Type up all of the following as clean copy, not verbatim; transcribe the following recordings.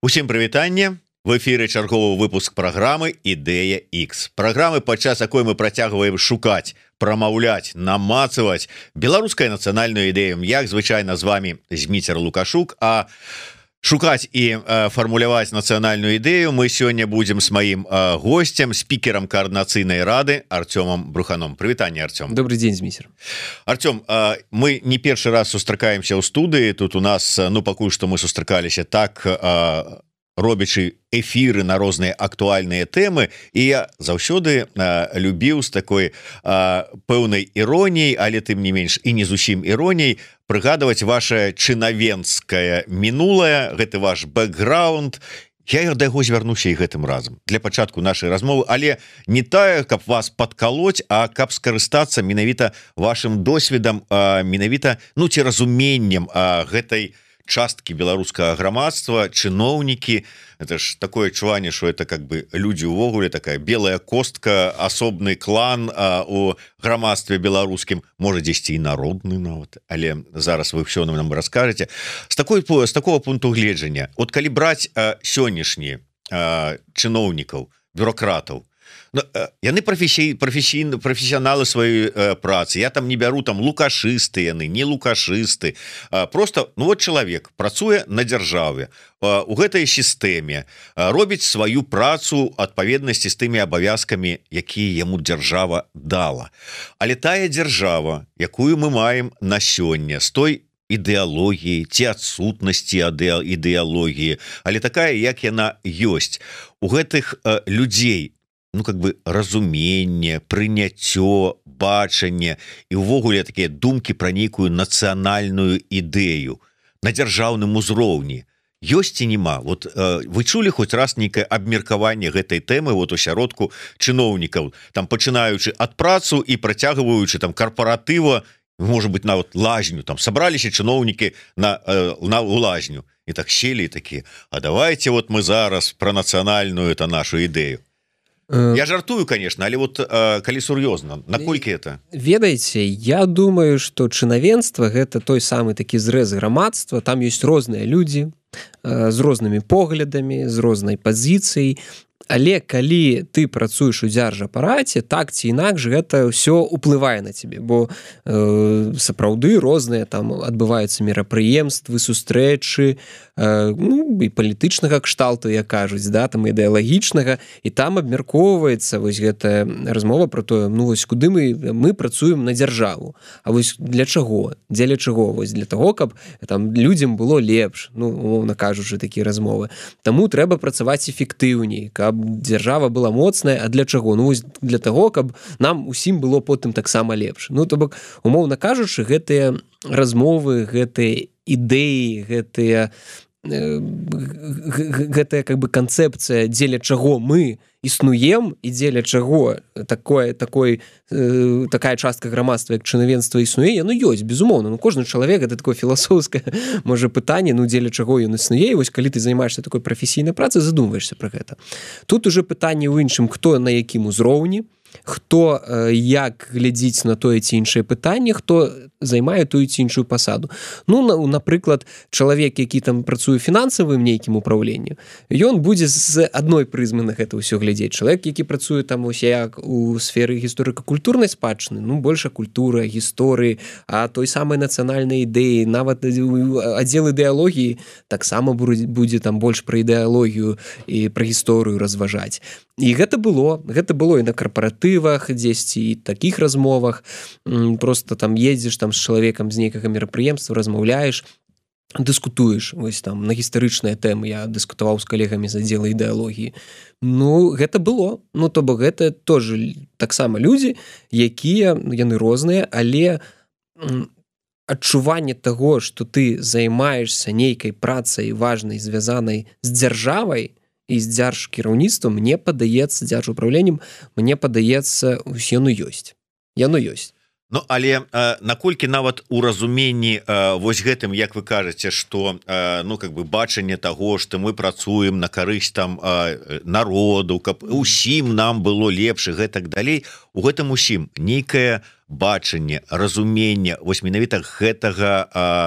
Усім прывітанне. В эфіры чарговы выпуск праграмы Ідэя X. Праграмы, падчас якой мы працягваем шукаць, прамаўляць, намацаваць беларускую нацыянальную ідэю. Як звычайна з вами Зміцер Лукашук, а шукаць і фармуляваць нацыянальную ідэю мы сёння будзем з маім гостцем, спікерам каардынацыйнай рады Артёмом Бруханом. Прывітанне, Артём. Добрый день, Зміцер. Артём, мы не першы раз сустракаемся ў студыі. Тут у нас, пакуль што мы сустракаліся так, робячы эфіры на розныя актуальныя тэмы, і я заўсёды любіў з такой пэўнай іроніяй, але тым не менш і не зусім іроніяй прыгадваць ваше чынавенцкае мінулае, гэты ваш бэкграунд. Я да яго звярнуся і гэтым разам для пачатку нашай размовы, але не тая, каб вас падкалоць, а каб скарыстацца менавіта вашым досведам, менавіта ці разуменнем гэтай часткі беларускага грамадства, чыноўнікі. Это ж такое адчуванне, что это как бы людзі увогуле, такая белая костка, асобны клан у грамадстве беларускім, можа дзесьці і народны нават, але зараз вы ўсё нам раскажаце. З такого пункту гледжання, от калі браць сённяшні чыноўнікаў, бюрократаў, яны прафесіяналы сваёй працы. Я там не бяру там лукашысты, яны не лукашысты, просто чалавек працуе на дзяржаве у гэтай сістэме, робіць сваю працу адпаведнасці з тымі абавязкамі, якія яму дзяржава дала. Але тая дзяржава, якую мы маем на сёння, з той ідэалогіі ці адсутнасці ідэалогіі, але такая, як яна ёсць, у гэтых людзей как бы разуменне, прыняццё, бачанне і ўвогуле такія думкі пра нейкую нацыянальную ідэю на дзяржаўным узроўні ёсць ці няма? Вот вы чулі хоць раз нейкае абмеркаванне гэтай тэмы у сяродку чыноўнікаў, там пачынаючы ад працу і працягваючы там карпаратыва, можа быть нават лазню, там сабраліся чыноўнікі на лазню і так селі такія: а давайте вот мы зараз пра нацыянальную нашу ідэю. Я жартую, конечно, але калі сур'ёзна, наколькі это? Ведаеце, я думаю, што чынавенства гэта той самы такі зрэз грамадства, там ёсць розныя людзі з рознымі поглядамі, з рознай пазіцыяй, але калі ты працуеш у дзяржапараце, так ці інакш гэта ўсё уплывае на цябе, бо сапраўды розныя там адбываюцца мерапрыемствы, сустрэчы, і палітычнага кшталту, як кажуць, там ідэалагічнага, і там абмяркоўваецца вось гэтая размова про тое, куды мы працуем на дзяржаву, а вось для чаго, дзеля чаго? Вось для того, каб там людзям было лепш, умоўна кажучы, такія размовы. Таму трэба працаваць эфектыўней, каб дзяржава была моцная. А для чаго? Для того, каб нам усім было потым таксама лепш. То бок, умоўна кажучы, гэтыя размовы, гэтыя ідэі, гэтая как бы канцэпцыя, дзеля чаго мы існуем і дзеля чаго такая частка грамадства, як чынавенства існуе, яно ёсць, безумоўна. Кожны чалавек, гэта такое філасофскае, можа, пытанне, дзеля чаго ён існуе, і вось калі ты займаешься такой прафесійнай працай, задумваешься пра гэта. Тут уже пытанне ў іншым, хто на якім узроўні, хто як глядзіць на тое ці іншае пытанне, хто займае тую ці іншую пасаду. Напрыклад, чалавек, які там працуе фінансавым нейкім управленні, ён будзе з адной прызмы на гэта ўсё глядзець. Чалавек, які працуе там як у сферы гісторыка-культурнай спадчыны, больше культура, гісторыі, а той самай нацыянальнай ідэі, нават аддзел ідэалогіі таксама будзе там больш пра ідэалогію і пра гісторыю разважаць. І гэта было і на карпаратывах, дзесьці і такіх размовах. Просто там едзеш там з чалавекам з нейкага мерапрыемства, размаўляеш, дыскутуеш вось там на гістарычныя тэмы. Я дыскутаваў з калегамі з аддзела ідэалогіі. Гэта было. То бок гэта тоже таксама людзі, якія, яны розныя, але адчуванне таго, што ты займаешься нейкай працай важнай, звязанай з дзяржавай і з дзяржкіраўніцтвам, мне падаецца, дзяржуправленнем, мне падаецца, яно ёсць. Яно ёсць. Але наколькі нават у разуменні вось гэтым, як вы кажаце, што как бы бачанне таго, што мы працуем на карысць там народу, каб усім нам было лепш і гэтак далей, у гэтым усім нейкае бачанне, разуменне вось менавіта гэтага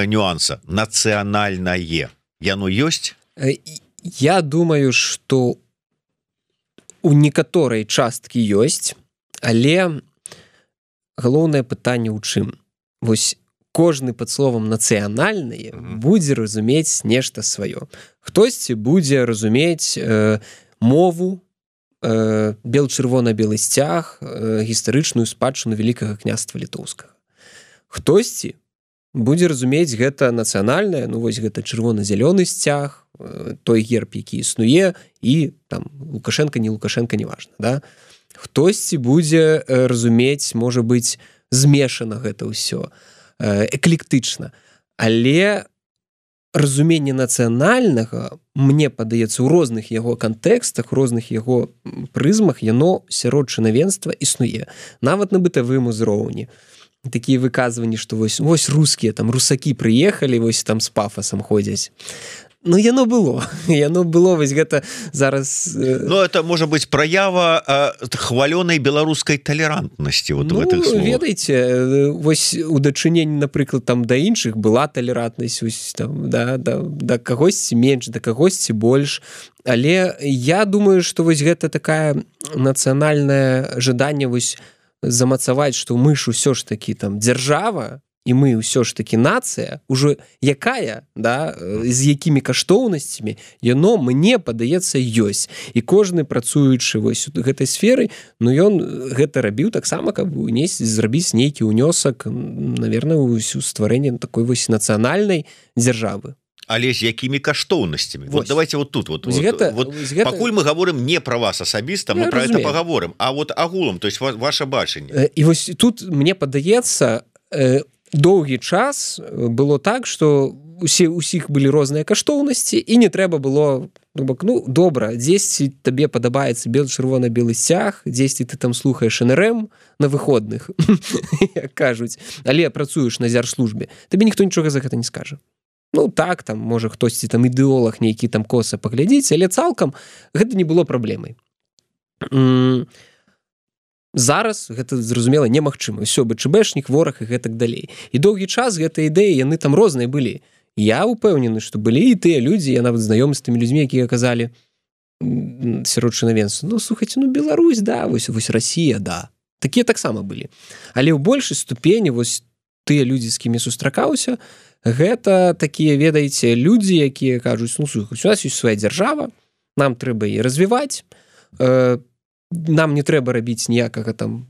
нюанса нацыянальнае, яно ёсць? Я думаю, што у некаторай часткі ёсць, але галоўнае пытанне ў чым? Вось кожны пад словам нацыянальнае будзе разумець нешта сваё. Хтосьці будзе разумець мову, бел-чырвона-белы сцяг, гістарычную спадчыну Вялікага княства Літоўскага. Хтосьці будзе разумець гэта нацыянальнае, ну вось гэта чырвона-зялёны сцяг, той герб, які існуе, і там Лукашенко, не Лукашенко, неважна, да? Хтосьці будзе разумець, можа быць, змешана гэта ўсё, эклектычна. Але разуменне нацыянальнага, мне падаецца, у розных яго кантэкстах, у розных яго прызмах, яно сярод чынавенства існуе. Нават на бытавым узроўні. Такія выказванні, што вось рускія, там русакі прыехалі, вось там з пафасам ходзяць. Ну, яно было, вось гэта зараз... Ну, это, можа быць, праява хвалёнай беларускай талерантнасці вот в гэтых словах. Ведаеце, вось у дачыненні, напрыклад, там да іншых была талерантнасць, вось там, да кагосьці менш, да кагосьці больш, але я думаю, што вось гэта такая нацыянальнае жаданне вось замацаваць, што мы ж усё ж такі там дзяржава, і мы ўсё ж такі нацыя, ужо якая, да, з якімі каштоўнасцямі, яно, мне падаецца, ёсць. І кожны, працуючы вось у гэтай сферы, ну, ён гэта рабіў таксама, каб зрабіць нейкі ўнёсак, наверное, у стварэнне такой вось нацыянальнай дзяржавы. Але з якімі каштоўнасцямі? Вот давайте вот тут. Пакуль мы говорим не про вас асабіста, мы про это поговорим, а вот агулам, то есть ваше бачанне. І вось тут, мне падаецца, доўгі час было так, што усіх былі розныя каштоўнасці, і не трэба было, ну, добра, дзесьці табе падабаецца бел-чырвона-белы сцяг, дзесьці ты там слухаеш НРМ на выходных, як кажуць, але працуеш на дзяржслужбе, табе ніхто нічога за гэта не скажа. Ну, так, там, можа, хтосьці там ідэолаг нейкі там коса паглядзіць, але цалкам гэта не было праблемай. Зараз гэта, зразумела, немагчыма. Усё, БЧБшнік, вораг і гэтак далей. І доўгі час гэтыя ідэі, яны там розныя былі. Я ўпэўнены, што былі і тыя людзі, я нават знаёмы з тымі людзьмі, якія казалі сярод чынавенства, ну, слухайце, ну, Беларусь, да, вось Расія, да. Такія таксама былі. Але ў большай ступені вось тыя людзі, з кімі сустракаўся, гэта такія, ведаеце, людзі, якія кажуць, ну, слухайце, у нас ёсць свая дзяржава, нам трэба яе развіваць, нам не трэба рабіць ніякага там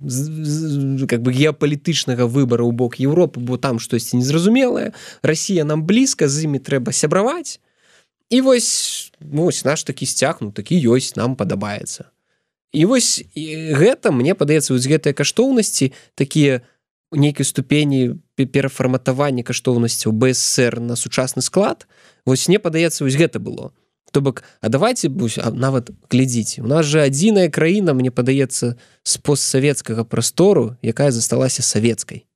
как бы геапалітычнага выбара ў бок Еўропы, бо там штосьці незразумелае, Расія нам блізка, з імі трэба сябраваць, і вось наш такі сцяг, ну такі ёсць, нам падабаецца. І вось гэта, мне падаецца, вось гэтыя каштоўнасці, такія нейкай ступені перафарматавання каштоўнасцяў БССР на сучасны склад, вось мне падаецца, вось гэта было. То бок, а давайте, нават глядзіце, у нас же адзіная краіна, мне падаецца, з постсавецкага прастору, якая засталася савецкай.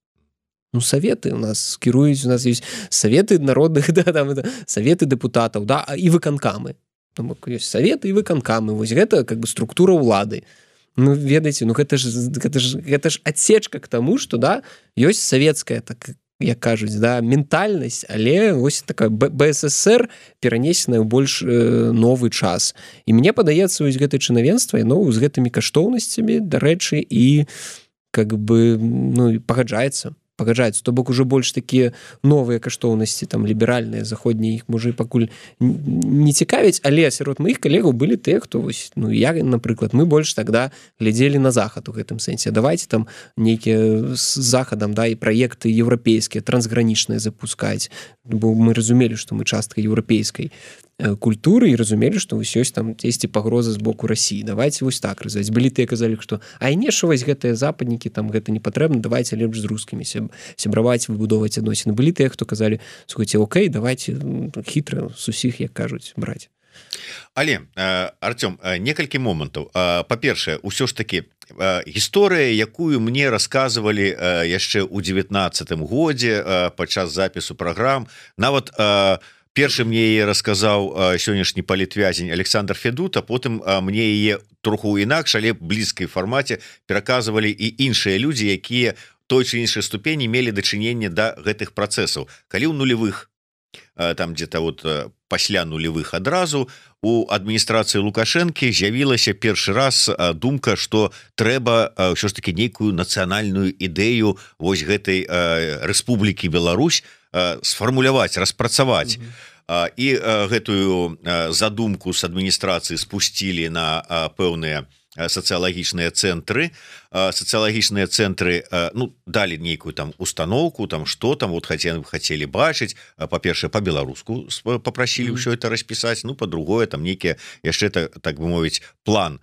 Ну, саветы у нас кіруюць, у нас ёсць саветы народных, да, там, саветы дэпутатаў, да, і выканкамы. То бок, ёсць саветы і выканкамы, вось гэта, как бы, структура ўлады. Ну, ведаеце, ну, гэта ж адсечка к таму, што, да, ёсць савецкая, так, як кажуць, да, ментальнасць, але вось такая БССР перанесеная ў больш новы час. І мне падаецца, вось гэтае чынавенства, яно з гэтымі каштоўнасцямі, дарэчы, і как бы, ну, пагаджаецца. То бок уже больш такія новыя каштоўнасці, там, ліберальныя, заходнія, іх, можа, і пакуль не цікавяць, але сярод маіх калегаў былі тыя, хто, вось, ну, я, напрыклад, мы больш тогда глядзелі на захад у гэтым сэнсе. Давайте там нейкія з захадам, да, і праекты еўрапейскія, трансгранічныя запускаць, бо мы разумелі, што мы частка еўрапейскай культуры і разумелі, што вось ёсць там дзесьці пагроза з боку Расіі. Давайте вось так развіваць. Былі тыя казалі, што не, што вось гэтыя западнікі, там гэта не патрэбна, давайте лепш з рускімі сябраваць, выбудоўваць адносіны. Былі тыя, хто казалі, слухайце, окей, давайте хітра з усіх, як кажуць, браць. Але, Артём, некалькі момантаў. Па-першае, усё ж такі гісторыя, якую мне расказвалі яшчэ ў 19-м годзе падчас запісу праграм, нават першы мне яе расказаў сённяшні палітвязень Александр Федута, потым мне яе троху інакш, але блізкай фармаце пераказвалі і іншыя людзі, якія той ці іншай ступені мелі дачыненне да гэтых працэсаў. Калі ў нулевых там где-то вот пасля нулевых адразу у адміністрацыі Лукашэнкі з'явілася першы раз думка, што трэба ўсё ж таки нейкую нацыянальную ідэю вось гэтай Рэспублікі Беларусь сфармуляваць, распрацаваць. І гэтую задумку з адміністрацыі спусцілі на пэўныя сацыялагічныя цэнтры. Сацыялагічныя цэнтры ну, далі нейкую там установку, там што там вот хацелі бачыць. Па-першае, па-беларуску папрасілі ўсё это распісаць, ну, па-другое, там нейкія яшчэ, так бы мовіць, план.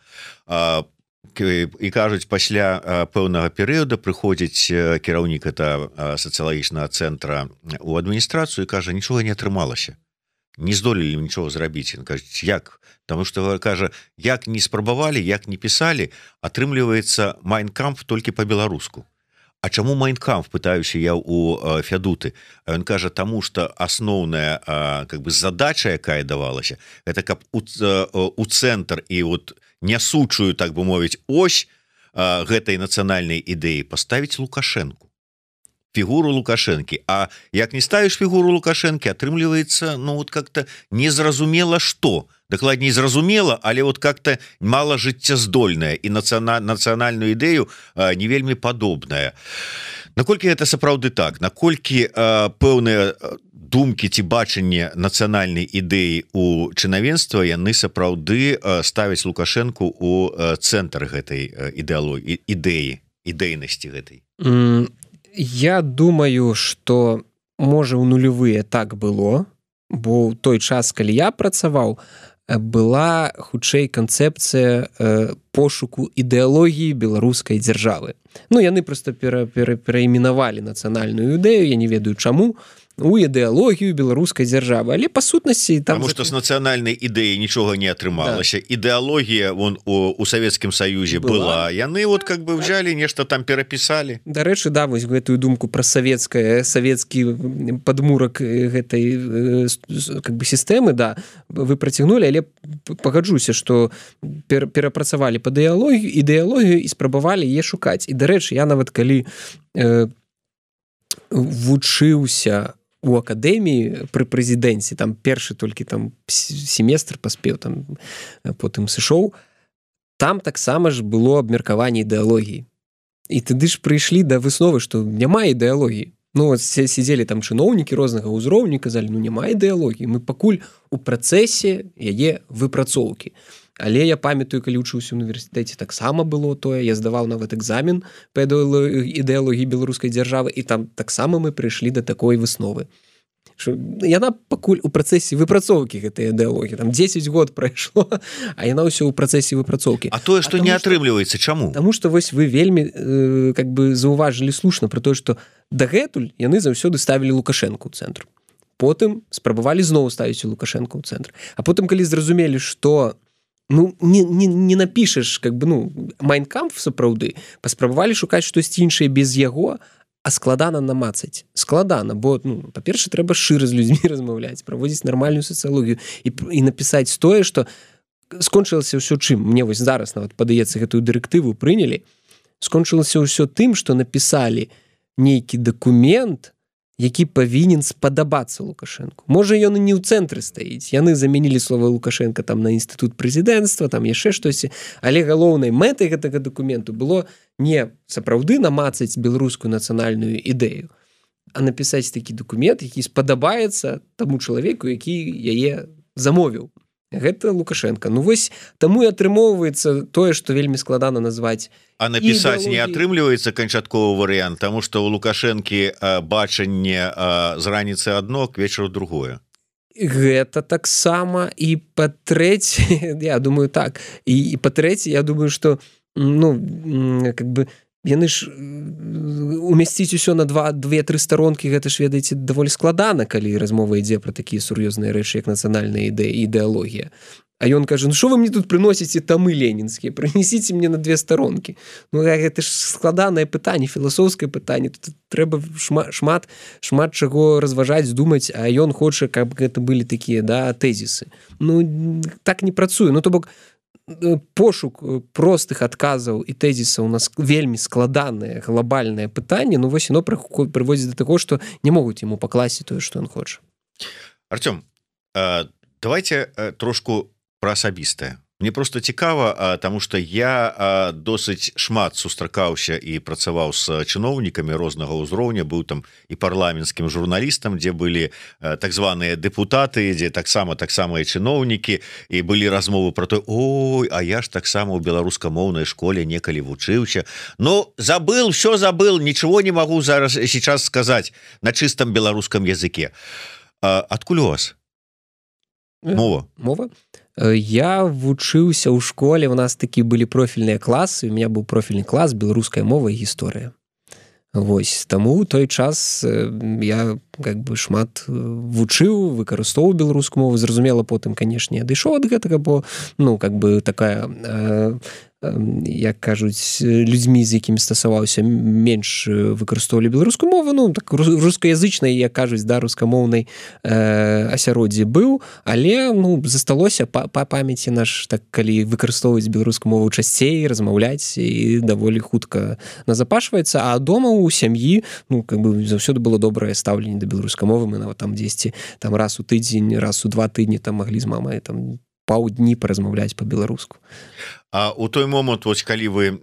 І кажуць, пасля пэўнага перыяда прыходзіць кіраўнік это сацыялагічнага цэнтра у адміністрацыю і кажа, нічога не атрымалася. Не здолелі нічого зрабіць. Ён кажа, як? Таму што, кажа, як не спрабавалі, як не пісалі, атрымліваецца Майнкамф толькі па-беларуску. А чаму Майнкамф, пытаюся я у Фядуты? А ён кажа, таму што асноўная как бы задача, якая давалася, это каб у цэнтр і вот нясучую, так бы мовіць, ось гэтай нацыянальнай ідэі паставіць Лукашэнку. Фігуру Лукашэнкі. А як не ставіш фігуру Лукашэнкі, атрымліваецца, ну, вот как-то незразумела што. Дакладней, зразумела, але вот как-то мала жыццяздольная і нацыянальную ідэю не вельмі падобная. Наколькі гэта сапраўды так? Наколькі пэўныя думкі ці бачанне нацыянальнай ідэі у чынавенства яны сапраўды ставяць Лукашэнку у цэнтр гэтай ідэі, ідэйнасці гэтай? Я думаю, што можа ў нулевыя так было, бо ў той час, калі я працаваў, была хутчэй канцэпцыя пошуку ідэалогіі беларускай дзяржавы. Ну, яны проста пераіменавалі нацыянальную ідэю, я не ведаю чаму, у ідэалогію беларускай дзяржавы, але па сутнасці там... Таму што з нацыянальнай ідэі нічога не атрымалася. Да. Ідэалогія вон у Савецкім Саюзе была. Яны вот как бы взяли, нешта там перапісалі. Дарэчы, да, вось гэтую думку пра савецкі падмурак гэтай как бы сістэмы, да, вы працягнулі, але пагаджуся, што перапрацавалі пад ідэалогію і спрабавалі яе шукаць. І, дарэчы, я нават калі вучыўся у акадэміі пры прэзідэнце, там першы толькі там семестр паспеў, там потым сышоў, там таксама ж было абмеркаванне ідэалогіі. І тады ж прыйшлі да высновы, што няма ідэалогіі. Ну, сидзелі там чыноўнікі рознага ўзроўню, казалі, ну, няма ідэалогіі, мы пакуль у працэсе яе выпрацоўкі. Але я памятаю, калі вучыўся ў універсітэце, таксама было тое, я здаваў нават экзамен па ідэалогіі беларускай дзяржавы, і там таксама мы прыйшлі да такой высновы. Яна пакуль у працэсе выпрацоўкі гэтай ідэалогіі, там 10 год прайшло, а яна ўсё ў працэсе выпрацоўкі. А тое, што не атрымліваецца, чаму? Таму што вось вы вельмі как бы заўважылі слушна пра тое, што дагэтуль яны заўсёды ставілі Лукашэнку ў цэнтр. Потым спрабавалі зноў ставіць Лукашэнку ў цэнтр. А потым, калі зразумелі, што ну, не напішаш, как бы, ну, Майнкамф сапраўды, паспрабавалі шукаць штосьці іншае без яго, а складана намацаць. Складана, бо, ну, па-перше, трэба шчыра з людзьмі размаўляць, праводзіць нармальную сацыялогію і напісаць тое, што скончылася ўсё чым. Мне вось зараз нават падаецца гэтую дырэктыву прынялі. Скончылася ўсё тым, што напісалі нейкі дакумент, які павінен спадабацца Лукашэнку. Можа, ён і не ў цэнтры стаіць. Яны замянілі слова Лукашэнка там на інстытут прэзідэнцтва, там яшчэ штосьці, але галоўнай мэтай гэтага дакументу было не сапраўды намацаць беларускую нацыянальную ідэю, а напісаць такі дакумент, які спадабаецца таму чалавеку, які яе замовіў. Гэта Лукашенко. Ну вось таму і атрымоўваецца тое, што вельмі складана назваць. А напісаць не атрымліваецца канчатковы варыянт, таму што ў Лукашэнкі бачанне з раніцы адно, к вечару другое. Гэта таксама і па-трэцяе, я думаю так, і па-трэцяе, я думаю, што ну, как бы яны ж умясціць усё на 2-3 старонкі, гэта ж, ведаеце, даволі складана, калі размова ідзе пра такія сур'ёзныя рэчы, як нацыянальная ідэалогія. А ён кажа, ну што вы мне тут прыносіце тамы ленінскія? Прынесіце мне на 2 старонкі. Ну гэта ж складанае пытанне, філасофскае пытанне. Тут трэба шмат чаго разважаць, думаць, а ён хоча, каб гэта былі такія, да, тэзісы. Ну так не працуе. Ну то бок пошук простых адказаў і тэзісаў у нас вельмі складанае глобальнае пытанне, ну вось яно прыводзіць да таго, што не могуць яму пакласці тое, што ён хоча. Артём, давайте трошку про асабістае. Мне просто цікава, тому что я досыць шмат сустракаўся і працаваў з чыноўнікамі рознага ўзроўня, быў там і парламенцкім журналістам, дзе былі так званыя дэпутаты, дзе таксама і чыноўнікі, і былі размовы про то: ой, а я ж таксама ў беларускамоўнай школе некалі вучыўся. Ну, забыл, все забыл, ничего не могу зараз сейчас сказать на чистом беларускам языке. Адкуль у вас мова? Я вучыўся ў школе, у нас такі былі профільныя класы, у меня быў профільны клас беларуская мова і гісторыя. Вось, таму ў той час я как бы шмат вучыў, выкарыстоўваў беларускую мову, зразумела, потым, канешне, я дайшоў ад гэтага, бо, ну, как бы такая, як кажуць, людзьмі, з якімі стасаваўся, менш выкарыстоўвалі беларускую мову, ну, так рускаязычнай, як кажуць, да, рускамоўнай асяроддзі быў, але, ну, засталося па памяці наш, так, калі выкарыстоўваць беларускую мову часцей, размаўляць, і даволі хутка назапашваецца, а дома у сям'і, ну, как бы заўсёды было добрае стаўленне да беларускай мовы, мы нават там дзесьці там раз у тыдзень, раз у 2 тыдні там маглі з мамай там паўдні паразмаўляць па-беларуску. А у той момант, вось калі вы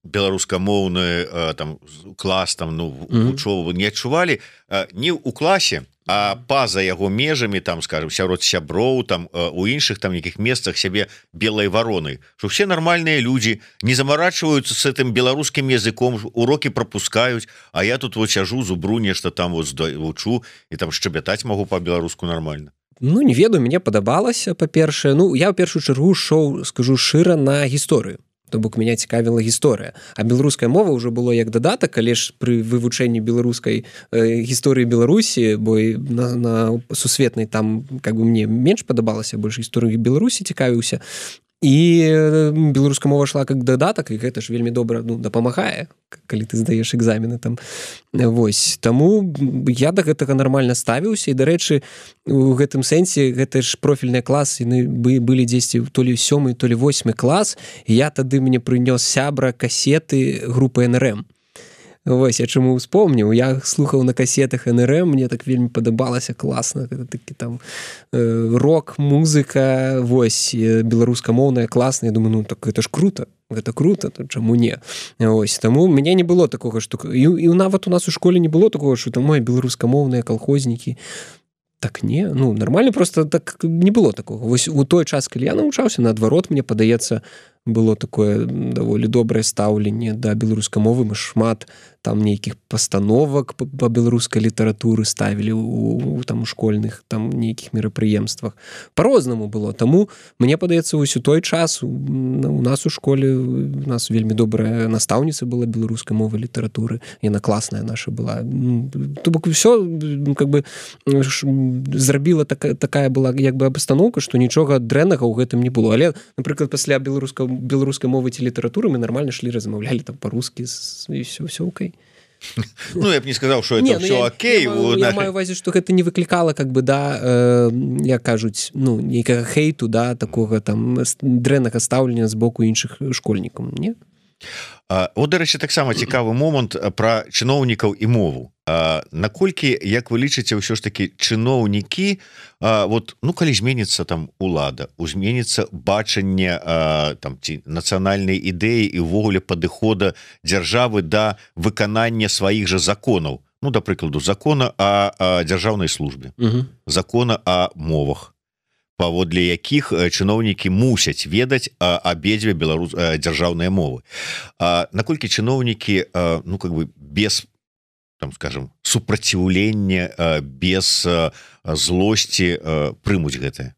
беларускамоўны там клас там, ну, вучову не адчувалі не ў класе, а па-за яго межамі, там, скажем, сярод сяброў, там у іншых там нейкіх месцах сябе белай варонай, што все нармальныя людзі не замарачваюцца з гэтым беларускім языком, урокі прапускаюць, а я тут вот сяжу, зубру нешта там вот вучу і там шчабятаць магу па-беларуску нармальна. Ну, не ведаю, мне падабалася, па-першае. Ну, я ў першую чаргу шоў, скажу шыра, на гісторыю. То бок мяне цікавіла гісторыя. А беларуская мова ўжо было як дадатак, але ж пры вывучэнні беларускай гісторыі Беларусі, бо на сусветнай там, как бы, мне менш падабалася, больш гісторыі Беларусі цікавіўся. І беларуская мова шла как дадатак, і гэта ж вельмі добра, ну, дапамагае, калі ты здаеш экзамены там. Вось, таму я да гэтага нармальна ставіўся, і, дарэчы, у гэтым сэнсе гэта ж профільныя класы, яны былі дзесьці то ли 7, то ли 8 клас, і я тады мне прынёс сябра касеты групы НРМ. Вось, я чаму успомніў, я слухаў на касетах НРМ, мне так вельмі падабалася, класна, гэта такі там рок, музыка, вось, беларускамоўная, класная, я думаю, ну, так гэта ж круто, то чаму не? Вось, таму мяне не было такога, што, і нават у нас у школе не было такога, што там, ой, беларускамоўныя калхознікі, так не, ну, нармальна, просто так не было такога. Вось у той час, калі я навучаўся, наадварот, мне падаецца, было такое даволі добрае стаўленне да беларускай мовы, мы шмат там нейкіх пастановак па беларускай літаратуры ставілі у там у школьных там нейкіх мерапрыемствах. Па-рознаму было, таму мне падаецца, вось у той час у нас у школе у нас вельмі добрая настаўніца была беларускай мовы літаратуры, яна класная наша была. То бок усё как бы зрабіла такая была як бы абстаноўка, што нічога дрэннага ў гэтым не было. Але, напрыклад, пасля беларускай мовы ці літаратуры мы нармальна шлі, размаўлялі там па-рускі, і все окей. Ну, я б не сказаў, што это все окей. Я маю ўвазе, што гэта не выклікала, как бы, да, як кажуць, ну, нейкага хейту, да, такога там дрэннага стаўлення з боку іншых школьнікаў, не? От, дарэчы, таксама цікавы момант пра чыноўнікаў і мову. Наколькі, як вы лічыце, ўсё ж такі чыноўнікі, вот, ну, калі зменіцца там улада, зменіцца бачанне там ці нацыянальнай ідэі і ўвогуле падыхода дзяржавы да выканання сваіх жа законаў, ну, да прыкладу, закона о дзяржаўнай службе, закона о мовах, паводле якіх чыноўнікі мусяць ведаць абедзве дзяржаўныя мовы. Наколькі чыноўнікі, ну, как бы без, там, скажем, супраціўлення, без злосці прымуць гэтае?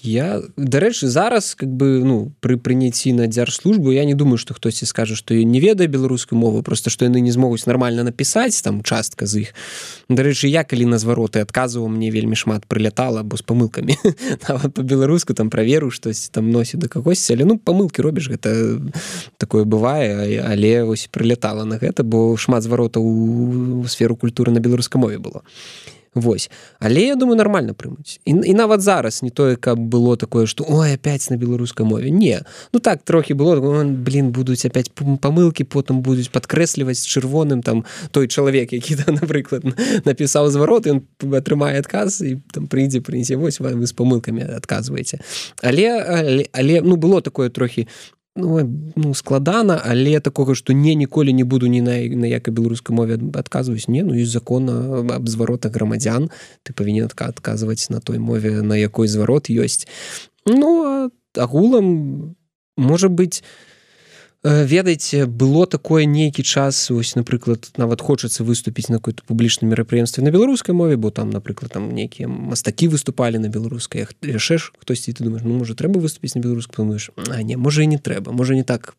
Я, дарэчы, зараз, как бы, ну, пры прыняцці на дзяржслужбу я не думаю, што хтосьці скажа, што не ведае беларускую мову, просто што яны не змогуць нармальна напісаць, там, частка з іх. Дарэчы, я, калі на звароты адказваў, мне вельмі шмат прылятала, бо з памылкамі. Нават па-беларуску там праверыў, штось там носіць да кагосьці, але, ну, памылкі робіш, гэта такое бывае, але вось прылятала на гэта, бо шмат зваротаў у сферу культуры на беларускай мове было. Вось. Але я думаю нармальна прымуць і нават зараз не тое каб было такое что ой опять на беларускай мове не ну так трохі было блин будуць опять памылки потым будуць падкрэсліваць чырвоным там той чалавек які там напрыклад напісаў зварот ён атрымае адказ і там прыйдзе прынесе вось вы з памылкамі адказваеце але ну было такое трохі ну складана але такога што ніколі не буду ні на якай беларускай мове адказваюць не ну і закона аб зваротах грамадзян ты павінен адказваць на той мове на якой зварот ёсць ну агулам можа быць ведаеце было такое нейкі час ось напрыклад нават хочацца выступіць на какой-то публічным мерапрыемстве на беларускай мове бо там напрыклад там нейкія мастакі выступалі на беларускай яшчэ хтосьці ты думаешь ну можа трэба выступіць на беларускай думаешь а не можа і не трэба можа не так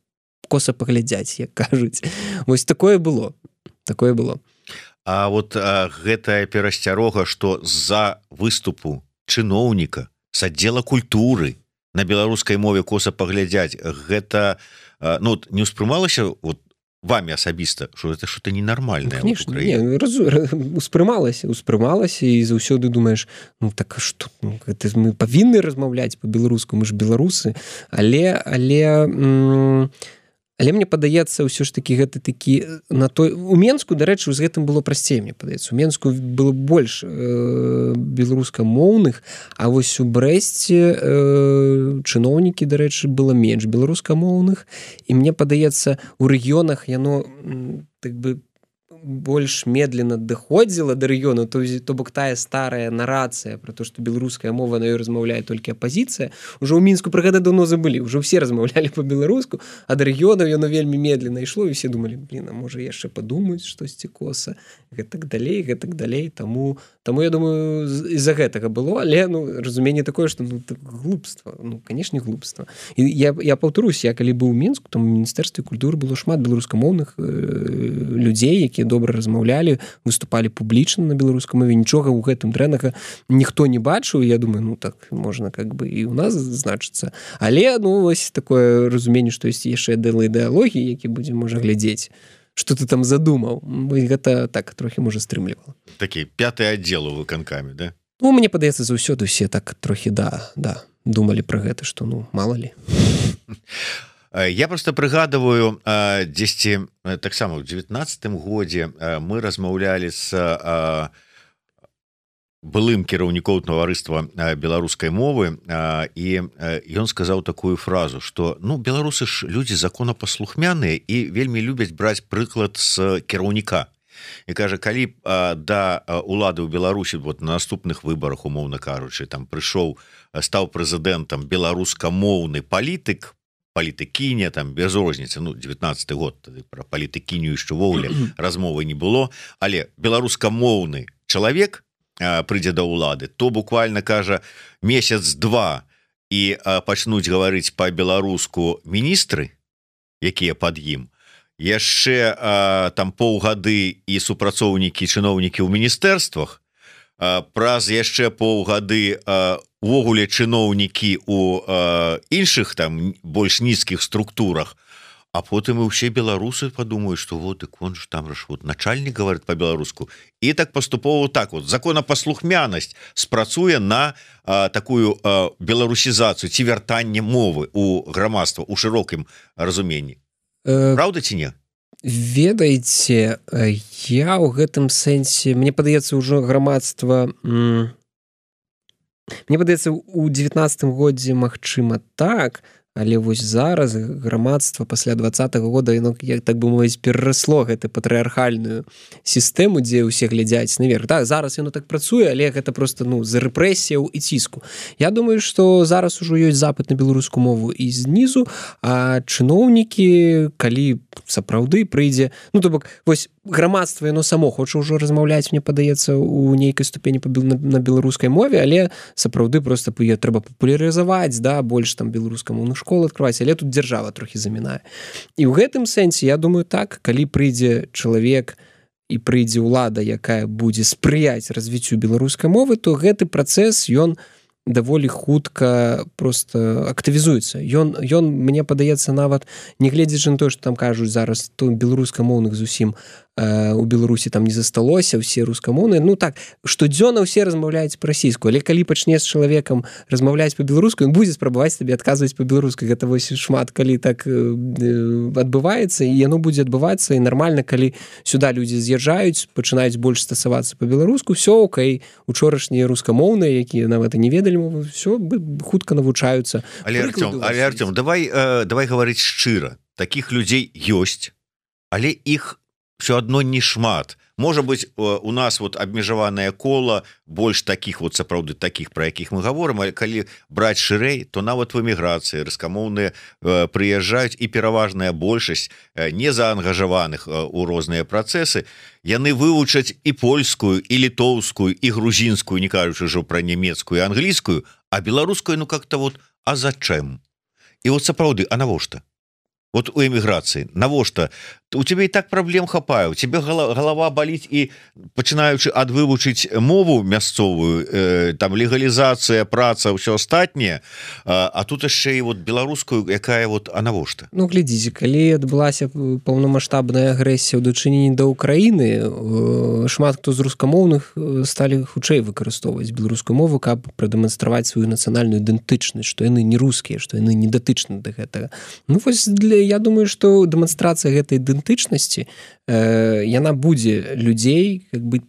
коса паглядзяць як кажуць вось такое было А вот гэтая перасцярога што з-за выступу чыноўніка з аддзела культуры на беларускай мове коса паглядзяць гэта ну не ўспрымалася вот вами асабіста что это что-то ненармальное успрымалася і заўсёды думаешь ну так что ну, мы павінны размаўляць по-беларуску мы ж беларусы але мне падаецца ўсё ж таки гэта такі на той у Менску дарэчы з гэтым было прасцей мне падаецца у Менску было больш беларускамоўных а вось у Брэсце чыноўнікі дарэчы было менш беларускамоўных і мне падаецца у рэгіёнах яно так бы больш медленно даходзіла да рэгіёну то бок тая старая нарацыя про то что беларуская мова на ёй размаўляе толькі апазіцыя уже ў Мінску пра гэта давно забылі уже ўсе размаўлялі по-беларуску а да рэгіёнаў яно вельмі медленно ішло і все думалі блин а можа яшчэ падумаюць штосьці коса гэтак далей таму я думаю з-за гэтага было але ну разуменне такое что ну так глупства ну канешне глупства і я паўтарусь я калі быў у Мінску там у міністэрстве культуры было шмат беларускамоўных людзей якія добра размаўлялі выступалі публічна на беларускай мове нічога ў гэтым дрэннага ніхто не бачыў я думаю ну так можна как бы і у нас значыцца але ну вось такое разуменне што ёсць яшчэ ідэалогіі які будзем можа глядзець что ты там задумаў гэта так трохі можа стрымлівала такі 5-й аддзел у выканкамі да ну мне падаецца заўсёды усе так трохі да думалі пра гэта што ну мала ли Я просто прыгадываю дзесьці таксама ў 19 годзе мы размаўлялі з былым кіраўнікоў таварыства беларускай мовы і ён сказаў такую фразу что ну беларусы ж людзі законапаслухмяныя і вельмі любяць браць прыклад з кіраўніка і кажа калі да улады ў Беларусі вот на наступных выбарах умоўна кажучы там прыйшоў стаў прэзідэнтам беларускамоўны палітыкіня там без розніцы ну 19 год про палітыкіню яшчэ ввогуле размовы не было але беларускамоўны чалавек прыйдзе да ўлады то буквально кажа месяц-два і пачнуць гаварыць па-беларуску міністры якія пад ім яшчэ там паўгады і супрацоўнікі чыноўнікі ў міністэрствах праз яшчэ паўгады увогуле чыноўнікі у іншых там больш нізкіх структурах а потым і ўсе беларусы падумаюць што вот дык он ж там ж вот начальнік говорит по-беларуску і так паступова так вот законапаслухмянасць спрацуе на такую беларусізацыю ці вяртанне мовы у грамадства у шырокім разуменні Праўда ці не? Ведаеце, я ў гэтым сэнсе, мне падаецца ўжо грамадства, мне падаецца у 19 годзе магчыма так, але вось зараз грамадства пасля 20-го года яно, як так бы мовіць, перарасло гэту патрыархальную сістэму, дзе ўсе глядзяць наверх. Так, зараз яно так працуе, але гэта проста з рэпрэсіяў і ціску. Я думаю, што зараз ужо ёсць запыт на беларускую мову і знізу, а чыноўнікі, калі сапраўды прыйдзе, то бок, вось грамадства яно само хоча ўжо размаўляць, мне падаецца, у нейкай ступені на беларускай мове, але сапраўды проста трэба папулярызаваць, да, больш там беларускамоўных школ открываць, але тут дзяржава трохі замінае. І ў гэтым сэнсе, я думаю, так, калі прыйдзе чалавек і прыйдзе ўлада, якая будзе спрыяць развіццю беларускай мовы, то гэты працэс, ён даволі хутка просто актывізуецца. Ён, мне падаецца, нават, не гледзячы на тое, што там кажуць зараз, то беларускамоўных зусім у Беларусі там не засталося, усе рускамоўныя. Ну так, штодзённа ўсе размаўляюць па-расійску, але калі пачне з чалавекам размаўляць па-беларуску, ён будзе спрабаваць табе адказваць па-беларуску. Гэта вось шмат калі так адбываецца, і яно будзе адбывацца, і нармальна, калі сюда людзі з'язджаюць, пачынаюць больш стасавацца па-беларуску, все окей, учорашнія рускамоўныя, якія нават і не ведалі мову, все хутка навучаюцца. Але Артём, давай гаварыць шчыра, такіх людзей ёсць, але іх все адно не шмат. Можа быць, у нас вот абмежаванае кола больш такіх вот сапраўды такіх, пра якіх мы гаворым, але калі браць шырэй, то нават в эміграцыі рускамоўныя прыязджаюць, і пераважная большасць незаангажаваных у розныя працэсы, яны вывучаць і польскую, і літоўскую, і грузінскую, не кажучы ўжо пра нямецкую і англійскую, а беларускую, ну как-то вот, а зачем? І вот сапраўды, а навошта? Вот у эміграцыі, навошта? У тебе і так праблем хапае, у тебе голова баліць, і пачынаючы ад вывучыць мову мясцовую, там легалізацыя, праца, ўсё астатняе, а тут яшчэ і вот беларускую, якая вот, а навошта? Ну, глядзіце, калі адбылася паўнамаштабная агрэсія ў дачыненні да Ўкраіны, шмат хто з рускамоўных сталі хутчэй выкарыстоўваць беларускую мову, каб прадэманстраваць сваю нацыянальную ідэнтычнасць, што яны не рускія, што яны не датычны да гэтага. Ну, вось я думаю, што дэманстрацыя гэтай ідэнтычнасці, яна будзе людзей как бы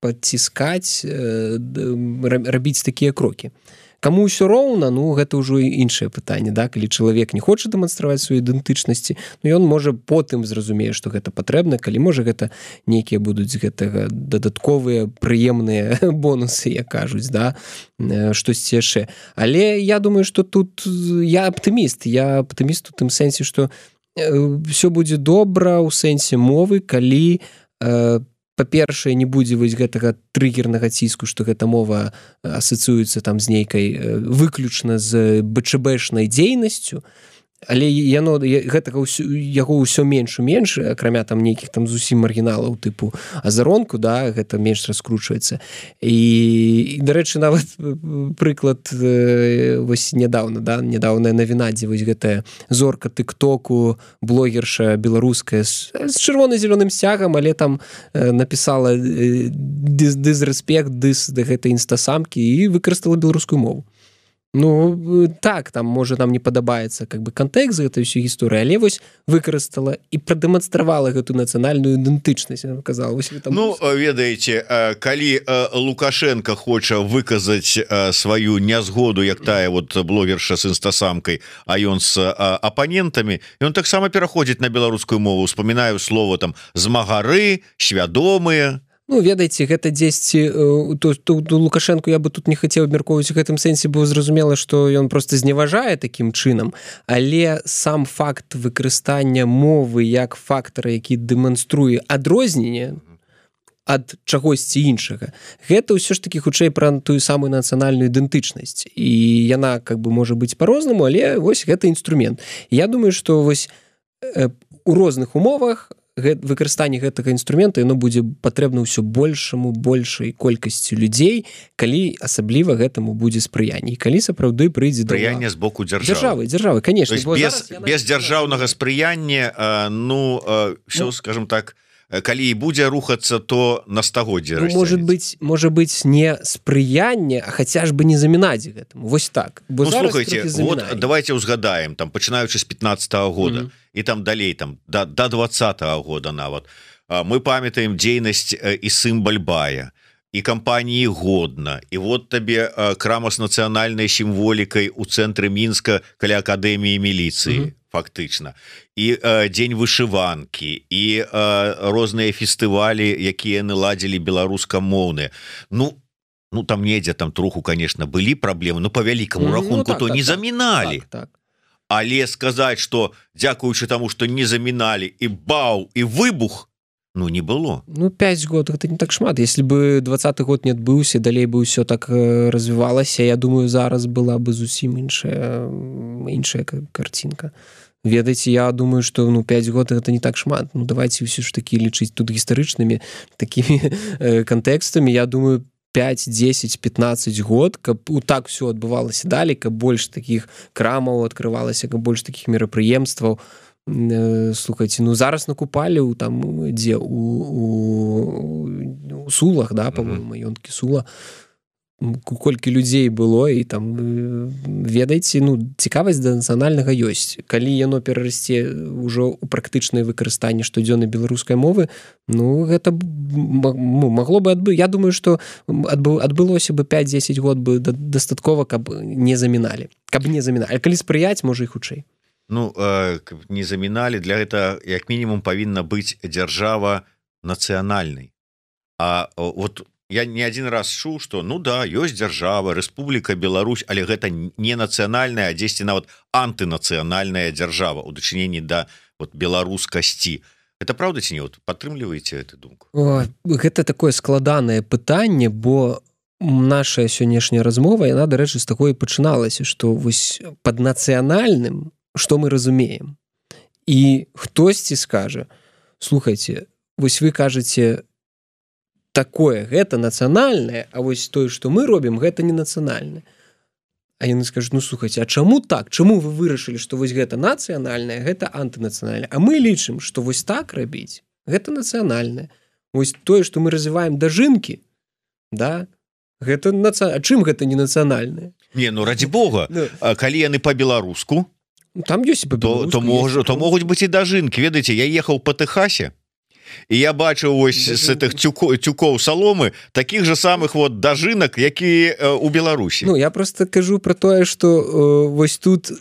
падціскаць, рабіць такія крокі. Каму ўсё роўна, ну, гэта ўжо іншае пытанне, да? Калі чалавек не хоча дэманстраваць сваю ідэнтычнасці, ну, ён можа потым зразумее, што гэта патрэбна, калі можа гэта нейкія будуць гэтага дадатковыя прыемныя бонусы, як кажуць, да? Штосьці яшчэ. Але я думаю, што тут я аптыміст у тым сэнсе, што все будзе добра ў сэнсе мовы, калі па-першае, не будзе вось гэтага трыгернага ціску, што гэта мова асацыюецца там з нейкай выключна з БЧБшнай дзейнасцю, але гэтага яго ўсё менш і менш, акрамя там нейкіх там зусім маргіналаў тыпу азаронку, да, гэта менш раскручваецца. І дарэчы, нават прыклад вось нядаўная навіна, дзе вось гэтая зорка тык-току, блогерша беларуская з чырвона-зялёным сцягам, але там напісала дызрэспект, да гэтай інстасамкі і выкарыстала беларускую мову. Ну, так, там, можа, нам не падабаецца как бы кантэкст гэтай ўсёй гісторыі, але вось выкарыстала і прадэманстравала гэту нацыянальную ідэнтычнасць, я казала. Ну, ведаеце, калі Лукашенко хоча выказаць сваю нязгоду, як тая вот блогерша з інстасамкай, а ён з апанентамі, ён таксама пераходзіць на беларускую мову, успамінаю слово там змагары, свядомыя. Ну, ведаеце, гэта дзесьці Лукашенко я бы тут не хацеў абмяркоўваць у гэтым сэнсе, бо зразумела, што ён проста зневажае такім чынам, але сам факт выкарыстання мовы як фактара, які дэманструе адрозненне ад чагосьці іншага, гэта ўсё ж такі хутчэй пра тую самую нацыянальную ідэнтычнасць, і яна как бы можа быць па-рознаму, але вось гэта інструмент. Я думаю, што вось у розных умовах выкарыстанне гэтага інструмента яно будзе патрэбна ўсё большай колькасці людзей, калі асабліва гэтаму будзе спрыянне, і калі сапраўды прыйдзе спрыянне з боку дзяржавы, конечно, без дзяржаўнага спрыяння, ну все, скажем так, калі і будзе рухацца, то на стагоддзе расцягнецца. Можа быць не спрыянне, а хаця ж бы не замінаць гэтаму. Вось так. Ну, слухайте, вот давайте узгадаем, там, пачынаючы з 15-го года, і там далей, там, до 20-го года нават. Мы памятаем дзейнасць і Сымбальбая, і кампаніі Годна, і вот табе крама з нацыянальнай сімволікай у цэнтры Мінска каля акадэміі міліцыі. Фактычна. І дзень вышыванкі, і розныя фестывалі, якія наладзілі беларускамоўныя. Ну, там недзе там троху, конечно, былі праблемы, но по вялікаму рахунку то не заміналі. Але сказаць, што дзякуючы таму, што не заміналі, і бау, і выбух, ну, не было. Ну, 5 год, гэта не так шмат. Если бы 20-й год не адбыўся, далей бы ўсё так развівалася, я думаю, зараз была бы зусім іншая картинка. Ведаеце, я думаю, што 5 год гэта не так шмат. Ну, давайте ўсё ж такі лічыць тут гістарычнымі такімі кантэкстамі. Я думаю, 5, 10, 15 год, каб так все адбывалася далей, каб больш такіх крамаў адкрывалася, каб больш такіх мерапрыемстваў. слухайте, ну зараз накупалі там дзе у Сулах, да, по-моему, маёнткі Сула, колькі людзей было, і там ведаеце, ну цікавасць да нацыянальнага ёсць. Калі яно перарасце ўжо ў практычнае выкарыстанне штодзённай беларускай мовы, ну гэта магло бы я думаю, што адбылося бы 5-10 год бы дастаткова, каб не заміналі. А калі спрыяць, можа і хутчэй. Ну, не заміналі, для гэта як мінімум павінна быць дзяржава нацыянальнай. А вот я не один раз чуў, што ну да, ёсць дзяржава, Рэспубліка Беларусь, але гэта не нацыянальная, а дзесьці нават антынацыянальная дзяржава ў дачыненні да вот беларускасці. Это правда ці не? Вот падтрымліваеце эту думку? Гэта такое складанае пытанне, бо наша сённяшняя размова, яна, дарэчы, з такой пачыналася, што вось пад нацыянальным што мы разумеем. І хтосьці скажа: слухайце, вось вы кажаце такое, гэта нацыянальнае, а вось тое, што мы робім, гэта не нацыянальнае. А яны скажуць: ну слухайце, а чаму так? Чаму вы вырашылі, што вось гэта нацыянальнае, гэта антынацыянальнае? А мы лічым, што вось так рабіць, гэта нацыянальнае. Вось тое, што мы развіваем дажынкі, да, гэта нацыянальнае. А чым гэта не нацыянальнае? Не, ну ради бога, калі яны па-беларуску, там ёсць па-беларуску, то могуць быць і дажынкі. Ведаеце, я ехаў па Тэхасе, і я бачыў вось з гэтых тюкоў саломы такіх же самых вот дажынак, які у Беларусі. Ну, я просто кажу про тое, што вось тут,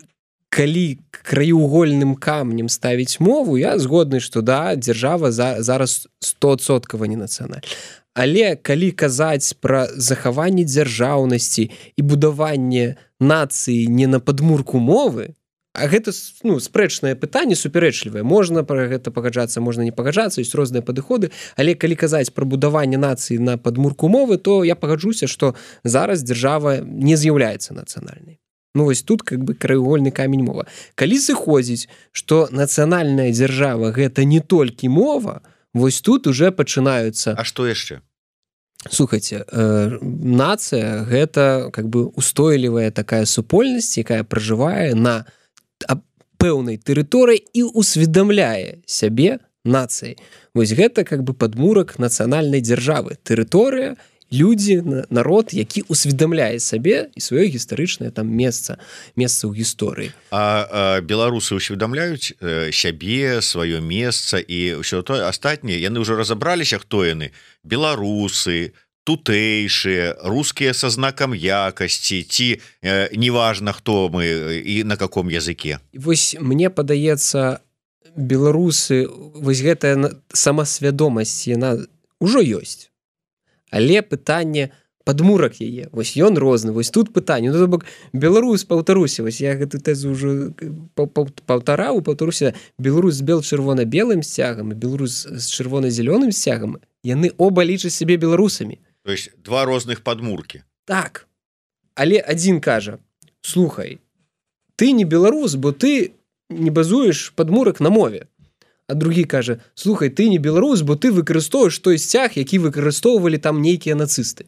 калі краеугольным камнем ставіць мову, я згодны, што да, дзяржава зараз 100% не нацыянальная. Але калі казаць пра захаванне дзяржаўнасці і будаванне нацыі не на падмурку мовы, а гэта, ну, спрэчнае пытанне, супярэчлівае. Можна пра гэта пагаджацца, можна не пагаджацца, ёсць розныя падыходы, але калі казаць пра будаванне нацыі на падмурку мовы, то я пагаджуся, што зараз дзяржава не з'яўляецца нацыянальнай. Ну, вось тут как бы краеугольны камень мова. Калі сыходзіць, што нацыянальная дзяржава гэта не толькі мова, вось тут уже пачынаюцца... А што яшчэ? Слухайце, нацыя гэта как бы устойлівая такая супольнасць, якая пражывае на пэўнай тэрыторыі і усведамляе сябе нацыяй. Вось гэта как бы падмурак нацыянальнай дзяржавы. Тэрыторыя, людзі, народ, які усведамляе сабе і сваё гістарычнае там месца ў гісторыі. А беларусы усведамляюць сябе, сваё месца і ўсё тое астатняе, яны ўжо разабраліся, хто яны? Беларусы, тутэйшыя, рускія са знакам якасці, ці неважна, хто мы і на каком языке. Вось мне падаецца, беларусы, вось гэтая самасвядомасць, яна ўжо ёсць. Але пытанне падмурак яе. Вось ён розны. Вось тут пытанне. Ну, то бок, беларус, паўтаруся, вось я гэту тэзу ўжо паўтаруся. Беларус з бел-чырвона-белым сцягам і беларус з чырвона-зялёным сцягам, яны оба лічаць сябе беларусамі. То есть два розных падмуркі. Так. Але адзін кажа: слухай, ты не беларус, бо ты не базуеш падмурак на мове. А другі кажа: слухай, ты не беларус, бо ты выкарыстоўваеш той сцяг, які выкарыстоўвалі там нейкія нацысты.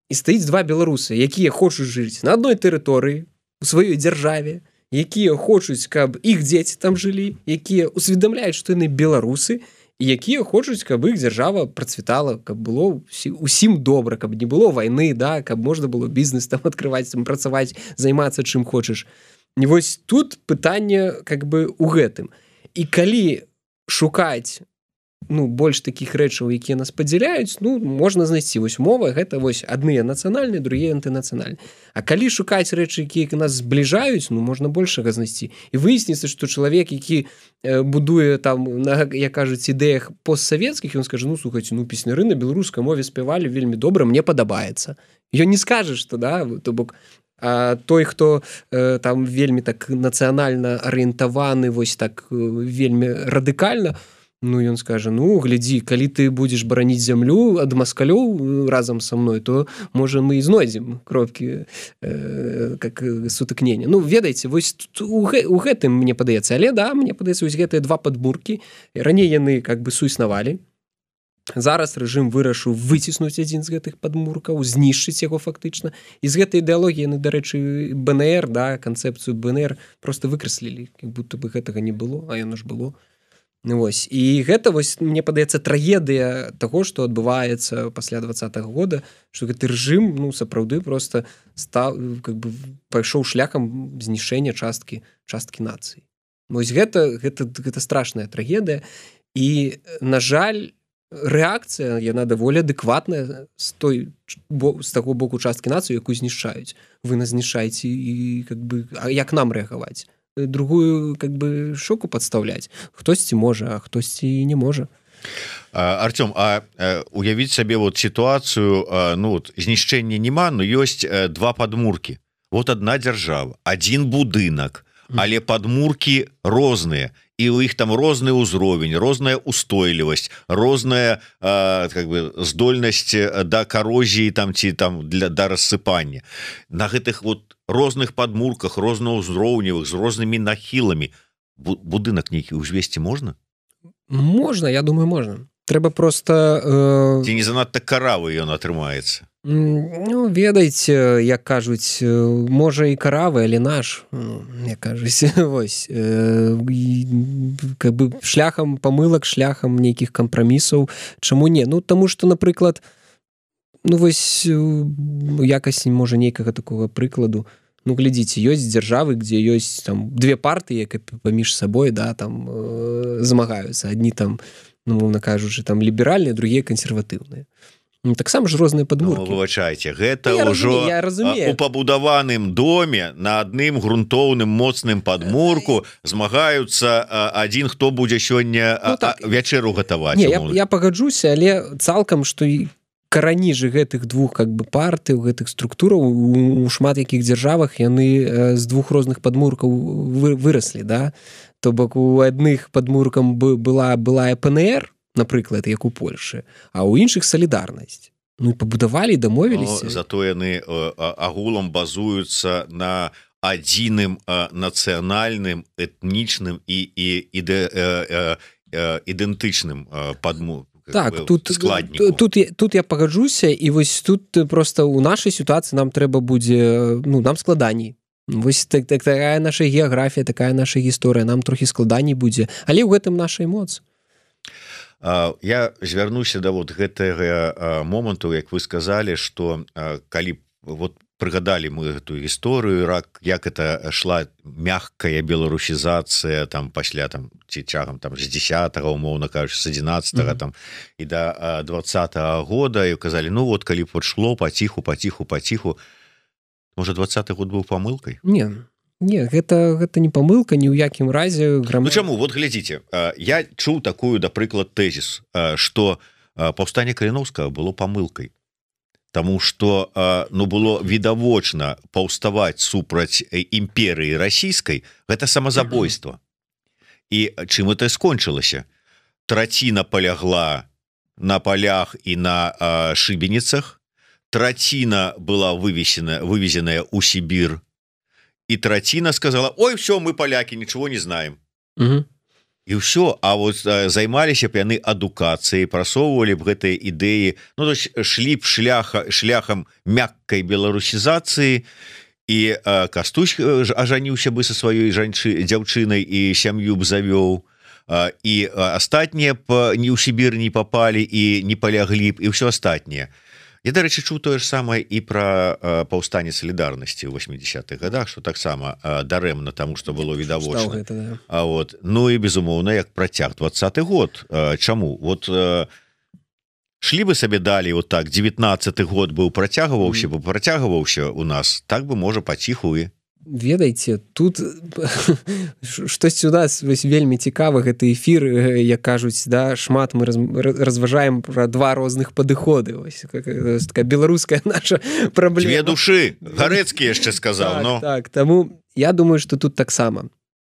І стаіць два беларусы, якія хочуць жыць на адной тэрыторыі, у сваёй дзяржаве, якія хочуць, каб іх дзеці там жылі, якія усведамляюць, што яны беларусы, і якія хочуць, каб іх дзяржава працвітала, каб было усім добра, каб не было вайны, да, каб можна было бізнес там адкрываць, там працаваць, займацца чым хочаш. І вось тут пытанне как бы у гэтым. І калі шукаць, ну, больш такіх рэчаў, якія нас падзяляюць, ну, можна знайсці. Вось мова, гэта вось адныя нацыянальныя, другія антынацыянальныя. А калі шукаць рэчы, якія нас збліжаюць, ну, можна большага знайсці. І выясніцца, што чалавек, які будуе там, на, як кажуць, ідэях постсавецкіх, ён скажа: ну, слухайце, ну, песняры на беларускай мове спявалі вельмі добра, мне падабаецца. Ён не скажа, што, да, то бок, а той, хто там вельмі так нацыянальна арыентаваны, вось так вельмі радыкальна, ну, ён скажа: ну, глядзі, калі ты будзеш бараніць зямлю ад маскалёў разам са мной, то, можа, мы і знойдзем кропкі как сутыкнення. Ну, ведаеце, вось у гэтым мне падаецца. Але, да, мне падаецца, вось гэтыя два падмуркі, раней яны как бы суіснавалі. зараз рэжым вырашыў выціснуць адзін з гэтых падмуркаў, знішчыць яго фактычна. І з гэтай ідэалогіі яны, дарэчы, БНР, да, канцэпцыю БНР просто выкраслілі, як будто бы гэтага не было, а яно ж было. Вось. І гэта, вось, мне падаецца, трагедыя таго, што адбываецца пасля 20-го года, што гэты рэжым, ну, сапраўды проста стаў, как бы, пайшоў шляхам знішэння часткі нацыі. Вось гэта страшная трагедыя. І, на жаль, рэакцыя, яна даволі адэкватная з таго боку часткі нацыі, якую знішчаюць. Вы нас знішаеце, і как бы, а як нам рэагаваць? Другую, как бы, шоку падстаўляць. Хтосьці можа, а хтосьці не можа. Артём, а уявіць сабе вот сітуацыю, ну, вот, знішчэння нема, но ёсць два падмуркі. Вот адна дзяржава, адзін будынак, але падмуркі розныя. І у іх там розны ўзровень, розная устойлівасць, розная как бы здольнасць да карозіі там ці там да рассыпання. На гэтых вот розных падмурках, рознаўзроўневых, з рознымі нахіламі будынак нейкі ўзвесці можна? Можна, я думаю, можна. Трэба просто... Ці не занадта каравы ён атрымаецца? Ну, ведаеце, як кажуць, можа і каравы, але наш, як кажуць, вось, как бы шляхам памылак, шляхам нейкіх кампрамісаў. Чаму не? Ну, таму што, напрыклад, ну, вось, якасць, можа, нейкага такога прыкладу. Ну, глядзіце, ёсць дзяржавы, дзе ёсць там две партыі, які паміж сабой, да, там змагаюцца. Адні там, ну, мовна кажучы, там ліберальныя, другія кансерватыўныя. Таксама ж розныя падмуркі. Ну, выбачайце, гэта ўжо у пабудаваным доме на адным грунтоўным моцным падмурку змагаюцца адзін, хто будзе сёння вячэру гатаваць. Не, я пагаджуся, але цалкам, што і карані же гэтых двух как бы партый, гэтых структураў у шмат якіх дзяржавах яны з двух розных падмуркаў выраслі, да? То бок у адных падмуркам была ПНР, напрыклад, як у Польшы, а ў іншых салідарнасць. Ну і пабудавалі, дамовіліся. Зато яны агулам базуюцца на адзіным нацыянальным, этнічным і ідэнтычным так, тут я пагаджуся, і вось тут просто у нашай сітуацыі нам трэба будзе, ну, нам складаней. Вось такая наша геаграфія, такая наша гісторыя, нам трохі складаней будзе, але ў гэтым наша моц. Я звярнуся да вот гэтага моманту, як вы сказалі, што калі вот прыгадалі мы гэтую гісторыю, як это шла мягкая беларусізацыя там пасля там ці чагам там з 10-го, умоўна кажучы, з 11-го там і да 20-го года, і казалі, ну вот калі б шло паціху, можа 20-й год быў памылкай? Не, гэта не памылка ні ў якім разе. Ну чаму? Вот глядзіце, я чуў такую, да прыклад, тэзіс, што паўстанне Каліноўскага было памылкай. Таму што, ну, было відавочна паўставаць супраць імперыі расійскай, гэта самазабойства. І чым это скончылася? Траціна палягла на палях і на шыбеніцах, траціна была вывезеная ў Сібір, и траціна сказала, ой, все, мы поляки, ничего не знаем. И все, а вот займаліся б яны адукацыяй, прасоўвалі б гэтыя ідэі, ну, то есть шлі б шляхам мяккай беларусізацыі, і Кастусь ажаніўся бы са сваёй дзяўчынай і сям'ю б завёў, і астатнія б ні ў Сібір не попалі і не поляглі б, і ўсё астатняе. Я, дарэчы, чуў тое ж самае і пра паўстанне салідарнасці ў 80-х годах, што таксама дарэмна таму, што было відавочна. Вот. Ну і, безумоўна, як працяг 20-й год. Чаму? Вот шлі бы сабе далей вот так, 19-й год быў працягваўся у нас, так бы, можа, паціху і... Ведаеце, тут штосьці у нас вельмі цікава, гэты эфір, як кажуць, да, шмат мы разважаем пра два розных падыходы. Ось такая беларуская наша праблема. Две душы, Гарэцкі яшчэ сказаў. Так, таму я думаю, што тут таксама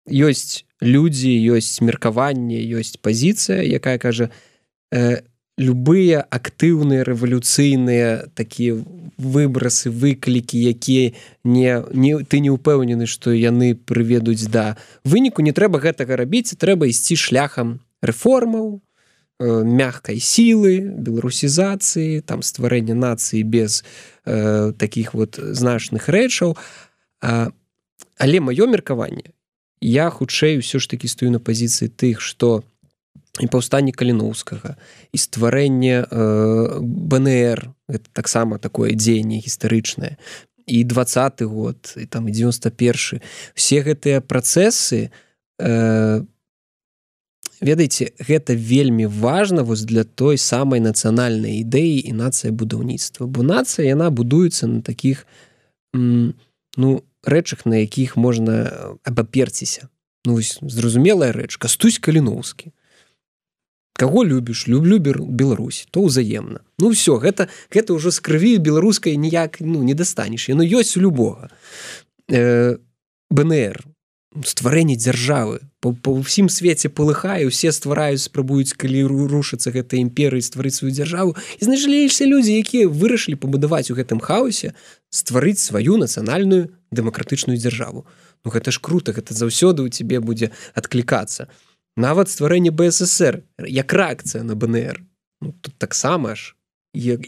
ёсць людзі, ёсць меркаванне, ёсць пазіцыя, якая кажа, любыя актыўныя рэвалюцыйныя такія выбрасы, выклікі, якія ты не ўпэўнены, што яны прыведуць да выніку, не трэба гэтага рабіць, трэба ісці шляхам рэформаў, мягкай сілы, беларусізацыі, там стварэння нацыі без такіх вот значных рэчаў. Але маё меркаванне, я хутчэй ўсё ж такі стою на пазіцыі тых, што і паўстанне Каліноўскага, і стварэнне БНР, гэта таксама такое дзеянне гістарычнае, і 20-й год, і там і 91-й. Все гэтыя працэсы, ведаеце, гэта вельмі важна вось для той самай нацыянальнай ідэі і нацыя будаўніцтва. Бо нацыя, яна будуецца на такіх рэчах, на якіх можна абаперціся. Зразумелая рэч, Кастусь Каліноўскі. Каго любіш? Люблю Беларусь, то ўзаемна. Все, гэта ўжо з крыві беларускай ніяк не дастанеш. Яно ёсць у любога. БНР, стварэнне дзяржавы, па ўсім свеце палыхае, усе ствараюць, спрабуюць, калі рушыцца гэта імперыя, стварыць сваю дзяржаву. І знайшліся людзі, якія вырашылі пабудаваць у гэтым хаосе, стварыць сваю нацыянальную дэмакратычную дзяржаву. Гэта ж круто, гэта заўсёды ў цябе будзе адклікацца. Нават стварэнне БССР, як рэакцыя на БНР. Тут таксама ж, і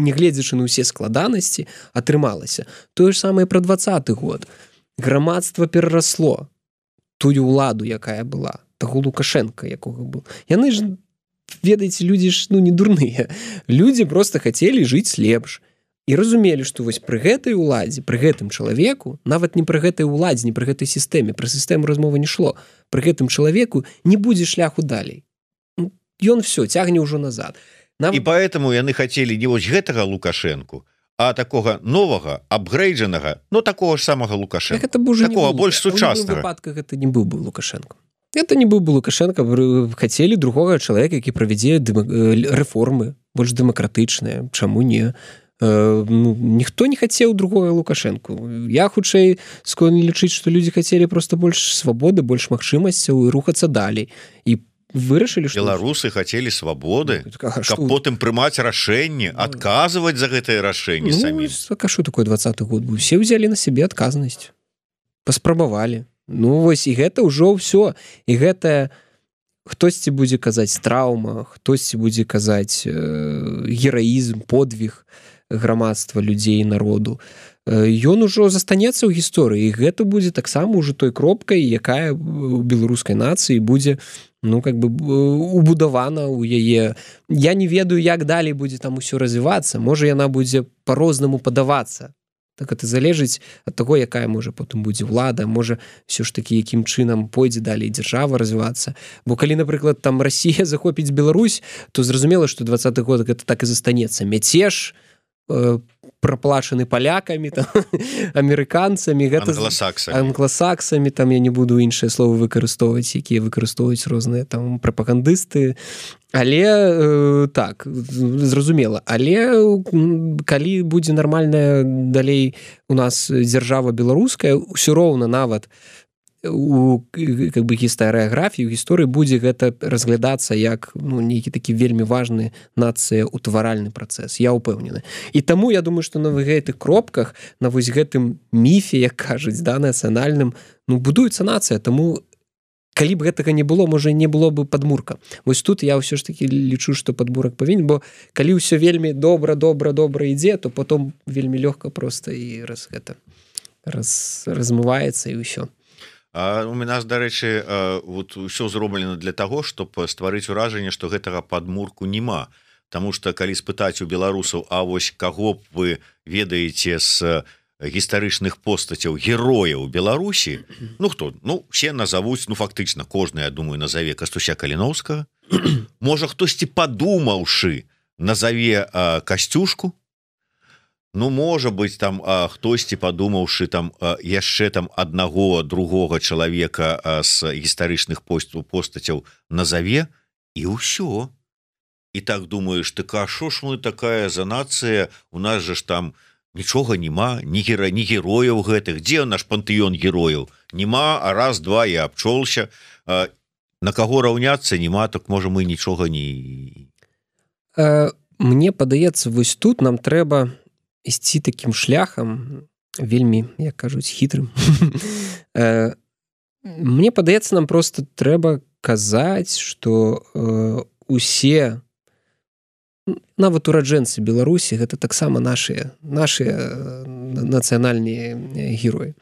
нягледзячы на ўсе складанасці, атрымалася. Тое ж самае пра 20-й год. Грамадства перарасло тую ўладу, якая была, таго Лукашенка, якога был. Яны ж, ведаеце, людзі ж не дурныя. Людзі проста хацелі жыць лепш. І разумелі, што вось пры гэтай уладзе, пры гэтым чалавеку, нават не пры гэтай уладзе, не пры гэтай сістэме, пра сістэму размова не шло, пры гэтым чалавеку не будзе шляху далей. Ён все, цягне ўжо назад. І поэтому яны хацелі не вось гэтага Лукашэнку, а такога новага, апгрейджанага, такого ж самага Лукашэнка. Такого больш сучаснага. У выпадках гэта не быў бы Лукашенко. Это не быў бы Лукашенко, хацелі другога чалавека, які правядзе рэформы, больш дэмакратычныя. Чаму не? Ніхто не хацеў другога Лукашенку. Я хутчэй складна лічыць, што людзі хацелі проста больш свабоды, больш магчымасцяў і рухацца далей. І вырашылі, што беларусы хацелі свабоды, каб потым прымаць рашэнні, адказваць за гэтае рашэнне самі. Што такое 20-й год быў? Усе ўзялі на сябе адказнасць. Паспрабавалі. Вось і гэта ўжо ўсё. І гэта хтосьці будзе казаць траўма, хтосьці будзе казаць гераізм, подвиг грамадства, людзей, народу. Ён ужо застанецца ў гісторыі, і гэта будзе таксама ўжо той кропкай, якая у беларускай нацыі будзе убудавана ў яе. Я не ведаю, як далей будзе там усё развівацца. Можа, яна будзе па-рознаму падавацца. Так это залежыць ад таго, якая можа потым будзе ўлада, можа ўсё ж такі якім чынам пойдзе далей дзяржава развівацца. Бо калі, напрыклад, там Расія захопіць Беларусь, то зразумела, што 20-й год гэта так і застанецца. Мяцеж праплачаны палякамі, амерыканцамі, англасаксамі, там я не буду іншыя словы выкарыстоўваць, якія выкарыстоўваюць розныя там прапагандысты. Але так, зразумела. Але калі будзе нармальная далей у нас дзяржава беларуская, ўсё роўна нават у гістарыяграфіі, у гісторыі будзе гэта разглядацца як нейкі такі вельмі важны нацыя-утваральны працэс. Я ўпэўнены. І таму я думаю, што на гэтых кропках, на вось гэтым міфе, як кажуць, нацыянальным, будуецца нацыя. Таму калі б гэтага не было, можа, не было бы падмурка. Вось тут я ўсё ж такі лічу, што падмурак павінен, бо калі ўсё вельмі добра ідзе, то потом вельмі лёгка проста і размываецца і ўсё. У нас, дарэчы, ўсё зроблена для таго, щоб стварыць уражанне, што гэтага падмурку няма. Таму што калі спытаць у беларусаў, а вось каго б вы ведаеце з гістарычных постацяў герояў Беларусі, хто? Все назовуць, фактычна кожны, я думаю, назаве Кастуся Каліноўскага. Можа, хтосьці падумаўшы назаве Касцюшку? Можа быць, там хтосьці падумаўшы там яшчэ там аднаго, другога чалавека з гістарычных постацяў назаве, і ўсё. І так думаеш, а шо ж мы такая за нацыя, у нас же ж там нічога няма, ні герояў гэтых. Дзе наш пантэён герояў? Нема, а раз, два, я абчолся. На каго раўняцца няма, так можа мы нічога не... Мне падаецца, вось тут нам трэба ісці такім шляхам, вельмі, як кажуць, хітрым. Мне падаецца, нам проста трэба казаць, што усе нават ураджэнцы Беларусі гэта таксама нашыя нацыянальныя героі.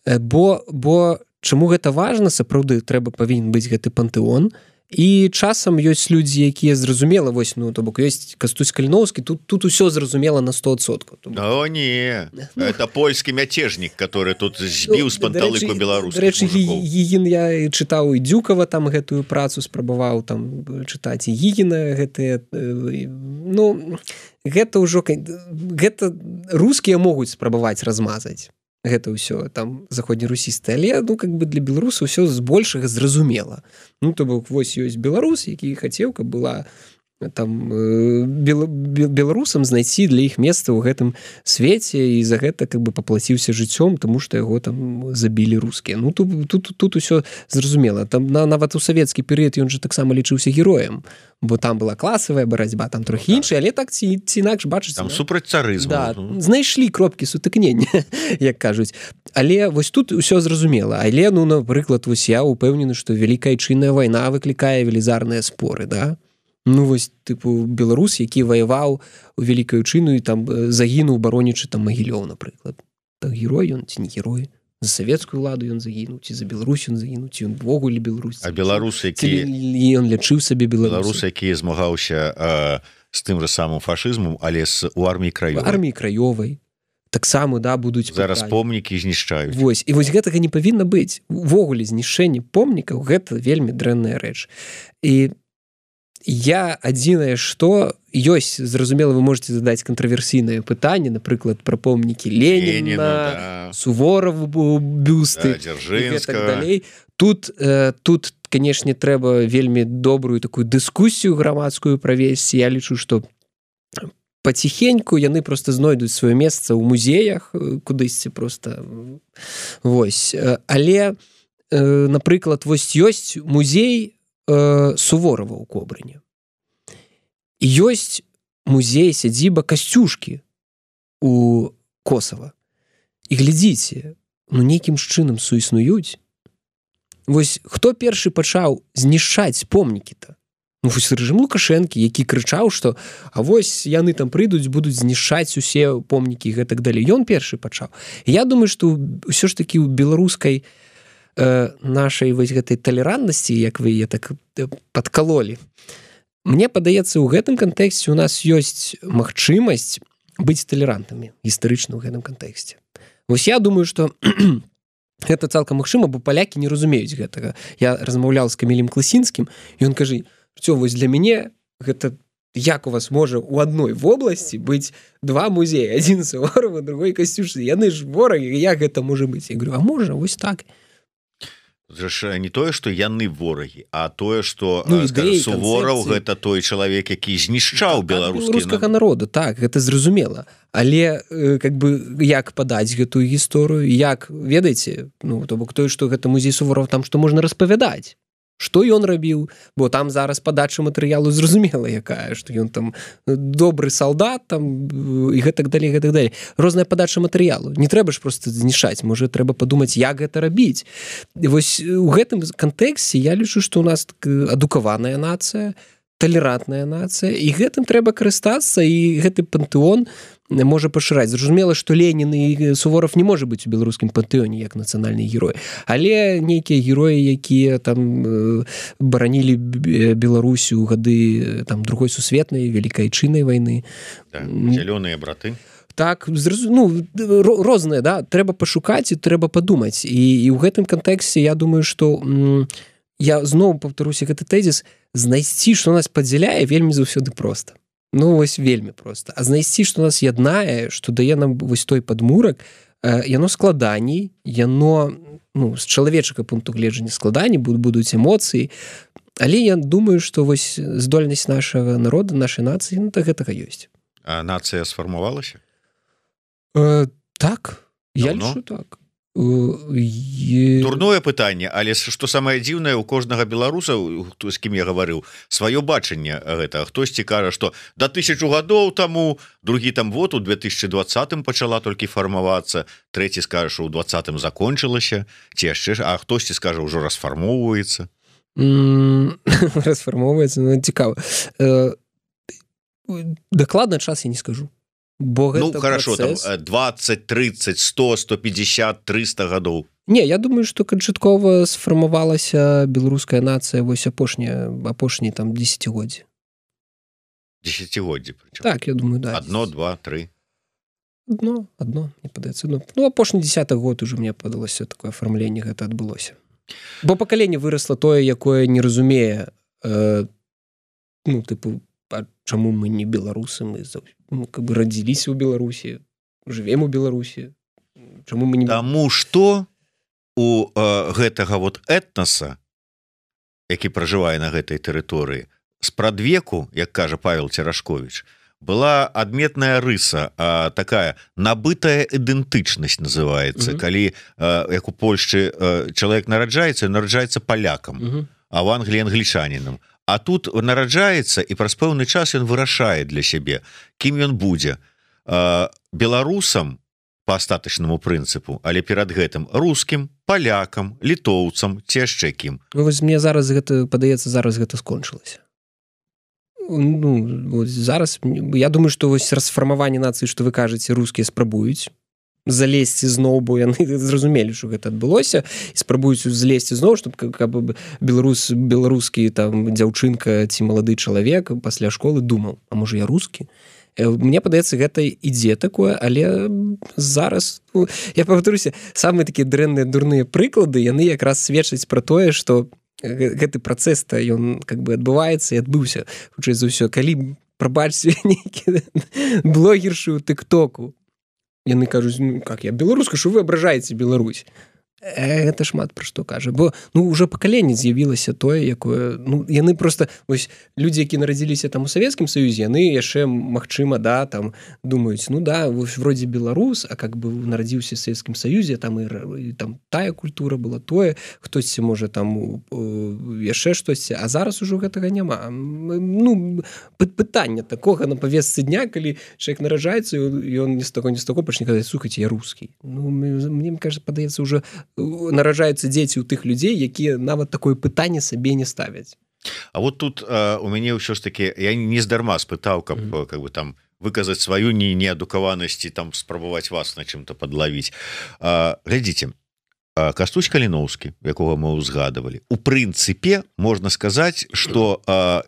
Бо чаму гэта важна, сапраўды павінен быць гэты пантэон, і часам ёсць людзі, якія зразумела, вось, то бок ёсць Кастусь Каліноўскі, тут усё зразумела на 100%. О, не, это польскі мяцежнік, который тут збіў з панталыку беларускіх мужикоў. Гігін, я чытаў і Дзюкава там гэтую працу спрабаваў там чытаць, і Гігіна гэтыя, гэта ўжо, гэта рускія могуць спрабаваць размазаць. Гэта ўсё там заходнерусісты, але для беларусаў ўсё збольшага зразумела. То бок вось ёсць беларус, які хацеў, каб была там беларусам знайсці для іх месца ў гэтым свеце, і за гэта паплаціўся жыццём, таму што яго там забілі рускія. Тут усё зразумела. Там нават у савецкі перыяд ён жа таксама лічыўся героем, бо там была класавая барацьба, там трохі іншая, але так ці інакш, бачыце, там супраць царызму. Да, знайшлі кропкі сутыкнення, як кажуць. Але вось тут усё зразумела. Але, напрыклад, вось я упэўнены, што Вялікая Айчынная вайна выклікае велізарныя споры, да? Вось, беларус, які ваяваў у Вялікую Айчынную і там загінуў, баронячы там Магілёў, напрыклад. Так герой ён ці не герой? За савецкую ўладу ён загінуў, ці за Беларусь ён загінуў, ці ён ввогуле беларус? А беларус, які... Ён лячыў сабе беларус. Беларус, які змагаўся з тым жа самым фашызмам, але у арміі краёвай. У арміі краёвай. Таксама, да, будуць зараз помнікі знішчаюць. Вось, і вось гэтага не павінна быць. Увогуле знішчэнне помнікаў гэта вельмі дрэнная рэч. І я адзінае, што ёсць, зразумела, вы можете задаць кантраверсійнае пытанне, напрыклад, пра помнікі Леніна, Суворову бюсты, Дзяржынскага. Тут, канешне, трэба вельмі добрую такую дыскусію грамадскую правесці. Я лічу, што паціхеньку яны проста знойдуць сваё месца ў музеях, кудысьці проста. Вось. Але, напрыклад, вось ёсць музей Суворова ў Кобрыне. Ёсць музей сядзіба Касцюшкі у Косава. І глядзіце, нейкім чынам суіснуюць. Вось хто першы пачаў знішчаць помнікі-то? Вось рэжым Лукашэнкі, які крычаў, што а вось яны там прыйдуць, будуць знішчаць усе помнікі і гэтак далей. Ён першы пачаў. Я думаю, што ўсё ж такі ў беларускай нашай вось гэтай талерантнасці, як вы яе так падкалолі. Мне падаецца, у гэтым кантэксце у нас ёсць магчымасць быць талерантамі гістарычна ў гэтым кантэксце. Вось я думаю, што гэта цалкам магчыма, бо палякі не разумеюць гэтага. Я размаўляў з Камілем Класінскім, і ён кажа, што вось для мяне гэта як у вас можа ў адной вобласці быць два музеі, адзін Суворова, другой Касцюшкі. Яны ж ворагі, як гэта можа быць? Я говорю, а можа, вось так. Не тое, што яны ворагі, а тое, што Сувораў гэта той чалавек, які знішчаў беларускага народа, так, гэта зразумела. Але як падаць гэтую гісторыю, як, ведаеце, то бок тое, што гэта музей Суворова, там што можна распавядаць. Што ён рабіў, бо там зараз падача матэрыялу зразумела якая, што ён там добры салдат там, і гэтак далей, гэтак далей. Розная падача матэрыялу. Не трэба ж проста знішчаць, можа трэба падумаць, як гэта рабіць. І вось у гэтым кантэксце я лічу, што ў нас адукаваная нацыя, талерантная нацыя, і гэтым трэба карыстацца, і гэты пантэон можа пашыраць. Зразумела, што Ленін і Суворов не можа быць у беларускім пантэоне як нацыянальны герой. Але нейкія героі, якія там баранілі Беларусь у гады там другой сусветнай, Вялікай Айчыннай вайны. Зялёныя браты. Так, розныя, да, трэба пашукаць і трэба падумаць. І ў гэтым кантэксце я думаю, што я зноў паўтаруся гэты тэзіс, знайсці, што нас падзяляе, вельмі заўсёды проста. Вось вельмі проста. А знайсці, што нас яднае, што дае нам вось той падмурак, яно складаней, яно з чалавечага пункту гледжання складаней, будуць эмоцыі, але я думаю, што вось здольнасць нашага народа, нашай нацыі, гэтага ёсць. А нацыя сфармавалася? Так, я лічу так. Дурное пытанне, але што самае дзіўнае, у кожнага беларуса, з кім я гаварыў, сваё бачанне гэта. Хтосьці кажа, што да 1000 гадоў таму, другі там вот у 2020 пачала толькі фармавацца, трэці скажа, што ў 2020 закончылася, ці яшчэ, а хтосьці скажа, ўжо расфармоўваецца. Расфармоўваецца, ну, цікава. Дакладна час я не скажу. Бо гэта хорошо, працэс... там 20, 30, 100, 150, 300 гадоў. Не, я думаю, што канчаткова сфармавалася беларуская нацыя вось апошні там десятгоддзі. Десятгоддзі, прычым. Так, я думаю, да. 1, 2, 3. Одно, мне падаецца. Ну, апошні 10-й год уже мне падалося такое афармленне гэта адбылося. Бо пакаленне вырасла тое, якое не разумее, ну, тыпу, а чаму мы не беларусы, мы как бы радзіліся ў Беларусі, жывем у Беларусі. Чаму мы не... Таму што у гэтага вот этнаса, які пражывае на гэтай тэрыторыі, спрадвеку, як кажа Павел Церашковіч, была адметная рыса, такая набытая ідэнтычнасць называецца, калі, як у Польшчы, чалавек нараджаецца палякам, а в Англіі англічанінам. А тут нараджаецца, і праз пэўны час ён вырашае для сябе, кім ён будзе. Беларусам па астатачнаму прынцыпу, але перад гэтым рускім, палякам, літоўцам, ці яшчэ кім. Вось мне зараз гэта, падаецца, зараз гэта скончылася. Ну, зараз, я думаю, што вось расфармаванне нацыі, што вы кажаце, рускія спрабуюць залезці зноў, бо яны зразумелі, што гэта адбылося, і спрабуюць злезці зноў, щоб каб беларускі там дзяўчынка ці малады чалавек пасля школы думаў, а можа я рускі? Мне падаецца, гэта ідзе такое, але зараз, ну, я павтаруся, самыя такія дрэнныя дурныя прыклады, яны якраз сведчаць пра тое, што гэты працэс-то, ён как бы адбываецца і адбыўся. Хутчэй за ўсё, калі, прабачце, нейкі блогершы ў тык-току, яны кажуць, ну, как я беларуска, што вы абражаеце Беларусь? Гэта шмат пра што кажа. Бо, ну, уже пакаленне з'явілася тое, якое... Ну, яны просто... Вось, людзі, які нарадзіліся там у Савецкім Саюзе, яны яшчэ, магчыма, да, там, думаюць, ну, да, вось, вроде беларус, а как бы нарадзіўся в Савецкім Саюзе, там, і там тая культура была, тое, хтосьці, можа, там, яшчэ штосьці, а зараз ужо гэтага няма. Ну, пытання такога на павестцы дня, калі чалавек нараджаецца, і ён ні з таго пачне казаць, слухайце, я рускі. Ну, мне кажется, падаецца, уже нараджаюцца дзеці ў тых людзей, якія нават такое пытанне сабе не ставяць. А вот тут у мяне ўсё ж таки, я не здарма спытаў, каб как бы там выказаць сваю неадукаванасць і там спрабаваць вас на чым-то падлавіць. Глядзіце, Кастусь Каліноўскі, якога мы ўзгадывалі, у прынцыпе можна сказаць, што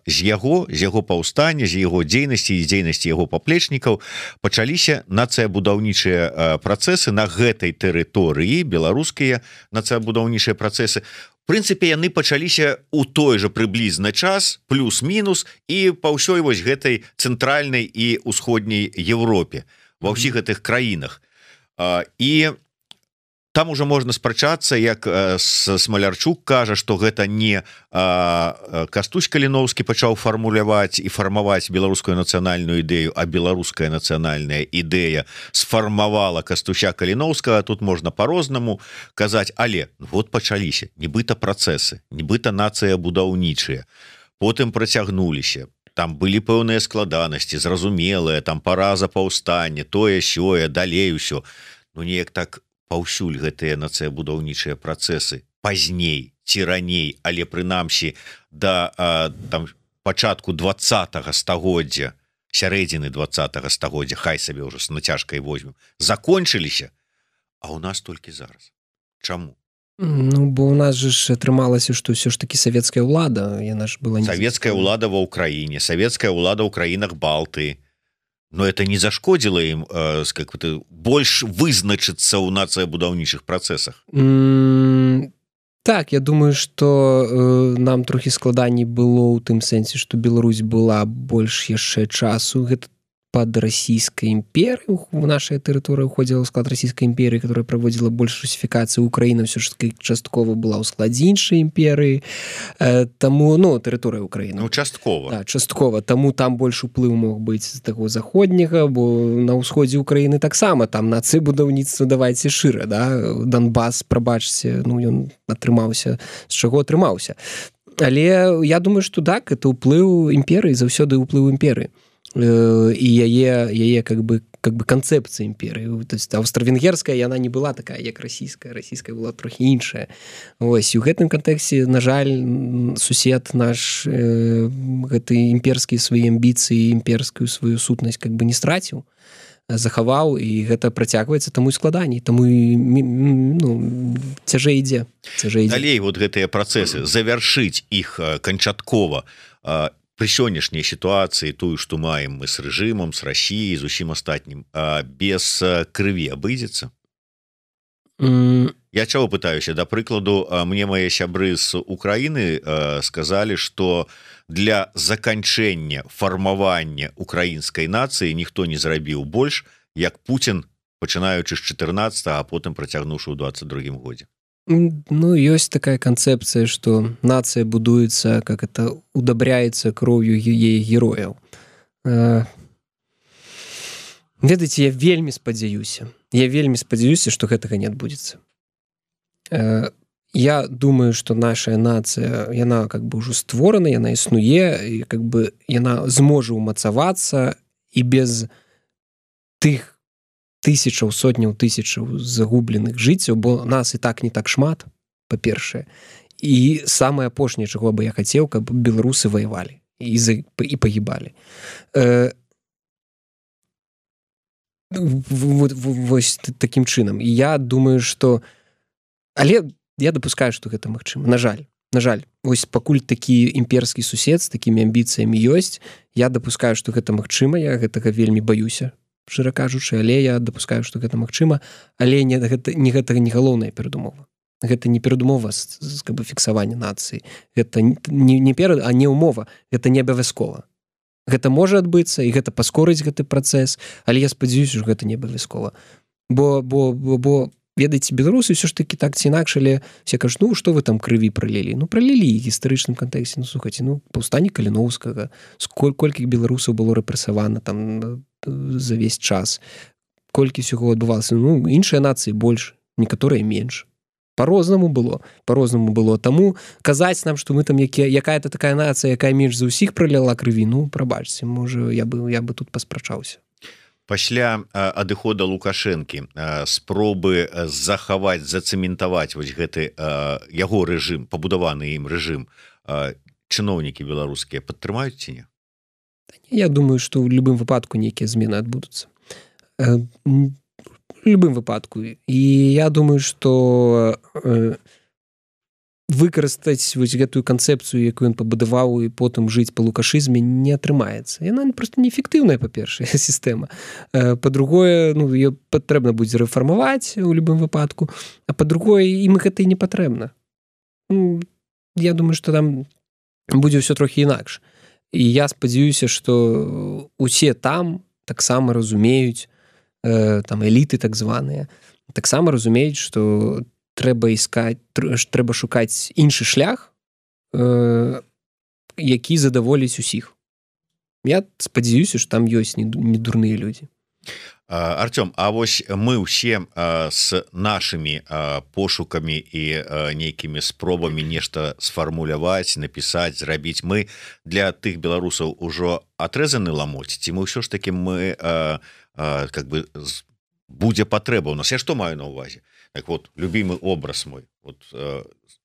з яго паўстання, з яго дзейнасці і дзейнасці яго паплечнікаў пачаліся нацыябудаўнічыя працэсы на гэтай тэрыторыі, беларускія нацыябудаўнічыя працэсы. В прынцыпе, яны пачаліся ў той жа прыблізны час, плюс-мінус, і па ўсёй вось гэтай цэнтральнай і ўсходняй Европе, ва ўсіх гэтых краінах. І там уже можна спрачацца, як Смалярчук кажа, што гэта не Кастусь Каліноўскі пачаў фармуляваць і фармаваць беларускую нацыянальную ідэю, а беларуская нацыянальная ідэя сфармавала Кастуся Каліноўскага. Тут можна по-рознаму казаць, але вот пачаліся нібыта працэсы, нібыта нацыябудаўнічыя, потым працягнуліся. Там былі пэўныя складанасці, зразумелыя, там параза паўстання, тое-сёе, далей усё. Ну неяк так паўсюль гэтыя нацыябудаўнічыя працэсы пазней ці раней, але прынамсі да там пачатку 20-го стагоддзя, сярэдзіны 20-го стагоддзя, хай сабе ўжо з нацяжкай возьмем, закончыліся, а ў нас толькі зараз. Чаму? Ну, бо у нас же ж атрымалася, што ўсё ж такі савецкая ўлада, яна ж была... Савецкая ўлада ва ўкраіне, савецкая ўлада ў краінах Балтыі. Но это не зашкодзіла ім больш вызначыцца ў нацыябудаўнічых працэсах. Так, я думаю, што нам трохі складаней было ў тым сэнсе, што Беларусь была больш яшчэ часу. Гэта пад расійскай імперыяй, у нашай тэрыторыі ўходзіла ў склад расійскай імперыі, которая праводзіла больш русіфікацыю. Украіна ўсё ж таки часткова была ў складзе іншай імперыі, таму, ну, тэрыторыя Украіны. Ну, часткова. Да, часткова, таму там больш уплыў мог быць з таго заходняга, бо на ўсходзе Украіны таксама там нацыябудаўніцтва давайце шыра, да, Донбас, прабачце, ну, ён атрымаўся, з чаго атрымаўся. Але я думаю, што так, это ўплыў імперыі, заўсёды ўплыў імперыі. І яе как бы как бы канцэпцыя імперыі. То есть аўстра-венгерская яна не была такая як расійская была трохі іншая. Вось і ў гэтым кантэксце, на жаль, сусед наш гэты імперскія свае амбіцыі, імперскую сваю сутнасць как бы не страціў, захаваў, і гэта працягваецца, таму і складаней, таму і цяжэй ідзе. Далей вот гэтыя працэсы завяршыць іх канчаткова пры сённяшняй сітуацыі, тую, што маем мы з рэжымам, з Расіяй, з усім астатнім, без крыві абыдзецца? Я чаго пытаюся? Да прыкладу, мне мае сябры з Украіны сказалі, што для заканчэння фармавання украінскай нацыі ніхто не зрабіў больш, як Пуцін, пачынаючы з 14, а потым працягнуўшы ў 22 годзе. Ну, ёсць такая канцэпцыя, што нацыя будуецца, как это удабряецца кроўю яе герояў. Ведаеце, я вельмі спадзяюся, што гэтага не адбудзецца. Я думаю, что наша нацыя, яна как бы ўжо створана, яна існуе, і как бы яна зможа ўмацавацца і без тых тысячаў, сотняў тысячаў загубленых жыццяў, бо нас і так не так шмат, па-першае. І самае апошняе, чаго бы я хацеў, каб беларусы ваявалі і пагібалі. Вось такім чынам. І я думаю, што... Але я дапускаю, што гэта магчыма. На жаль. Вось пакуль такі імперскі сусед з такімі амбіцыямі ёсць, я дапускаю, што гэта магчыма, я гэтага вельмі баюся, шчыра кажучы, але я дапускаю, што гэта магчыма, але гэтага не галоўная перадумова. Гэта не перадумова з фіксавання нацыі. Гэта а не умова, гэта не абавязкова. Гэта можа адбыцца, і гэта паскорыць гэты працэс, але я спадзяюся, што гэта не абавязкова. Бо ведаеце, беларусы ўсё ж такі так ці інакш, але все кажуць, ну, што вы там крыві пралілі? Ну, пралілі ў гістарычным кантэксце. Ну, слухайце, паўстанне Каліноўскага, колькі беларусаў было рэпрэсавана там за весь час, колькі ўсяго адбывалася. Ну, іншыя нацыі больш, некаторыя менш. По-рознаму было. Таму казаць нам, што мы там якая-то такая нацыя, якая менш за ўсіх праляла крыві, ну, прабачце, можа, я бы тут паспрачаўся. Пасля адыхода Лукашэнкі спробы захаваць, зацэментаваць вось гэты яго рэжым, пабудаваны ім рэжым, чыноўнікі беларускія падтрымаюць ці не? Я думаю, што ў любым выпадку нейкія змены адбудуцца. У любым выпадку. І я думаю, што выкарыстаць вось гэтую канцэпцыю, якую ён пабудаваў, і потым жыць па лукашызме, не атрымаецца. Яна проста неэфектыўная, па-першае, сістэма. Па-другое, ее патрэбна будзе рэфармаваць у любым выпадку, а па-другое, ім гэта і не патрэбна. Я думаю, што там будзе ўсё трохі інакш. І я спадзяюся, што усе там таксама разумеюць, там эліты так званыя, таксама разумеюць, што трэба шукаць іншы шлях, які задаволіць усіх. Я спадзяюся, што там ёсць не дурныя людзі. Артём, а вось мы ўсе з нашымі пошукамі і нейкімі спробамі нешта сфармуляваць, напісаць, зрабіць, мы для тых беларусаў ужо атрэзаны ламоць, ці мы ўсё ж такі мы как бы будзе патрэба ў нас? Я што маю на ўвазе? Так вот, любимый образ мой. Вот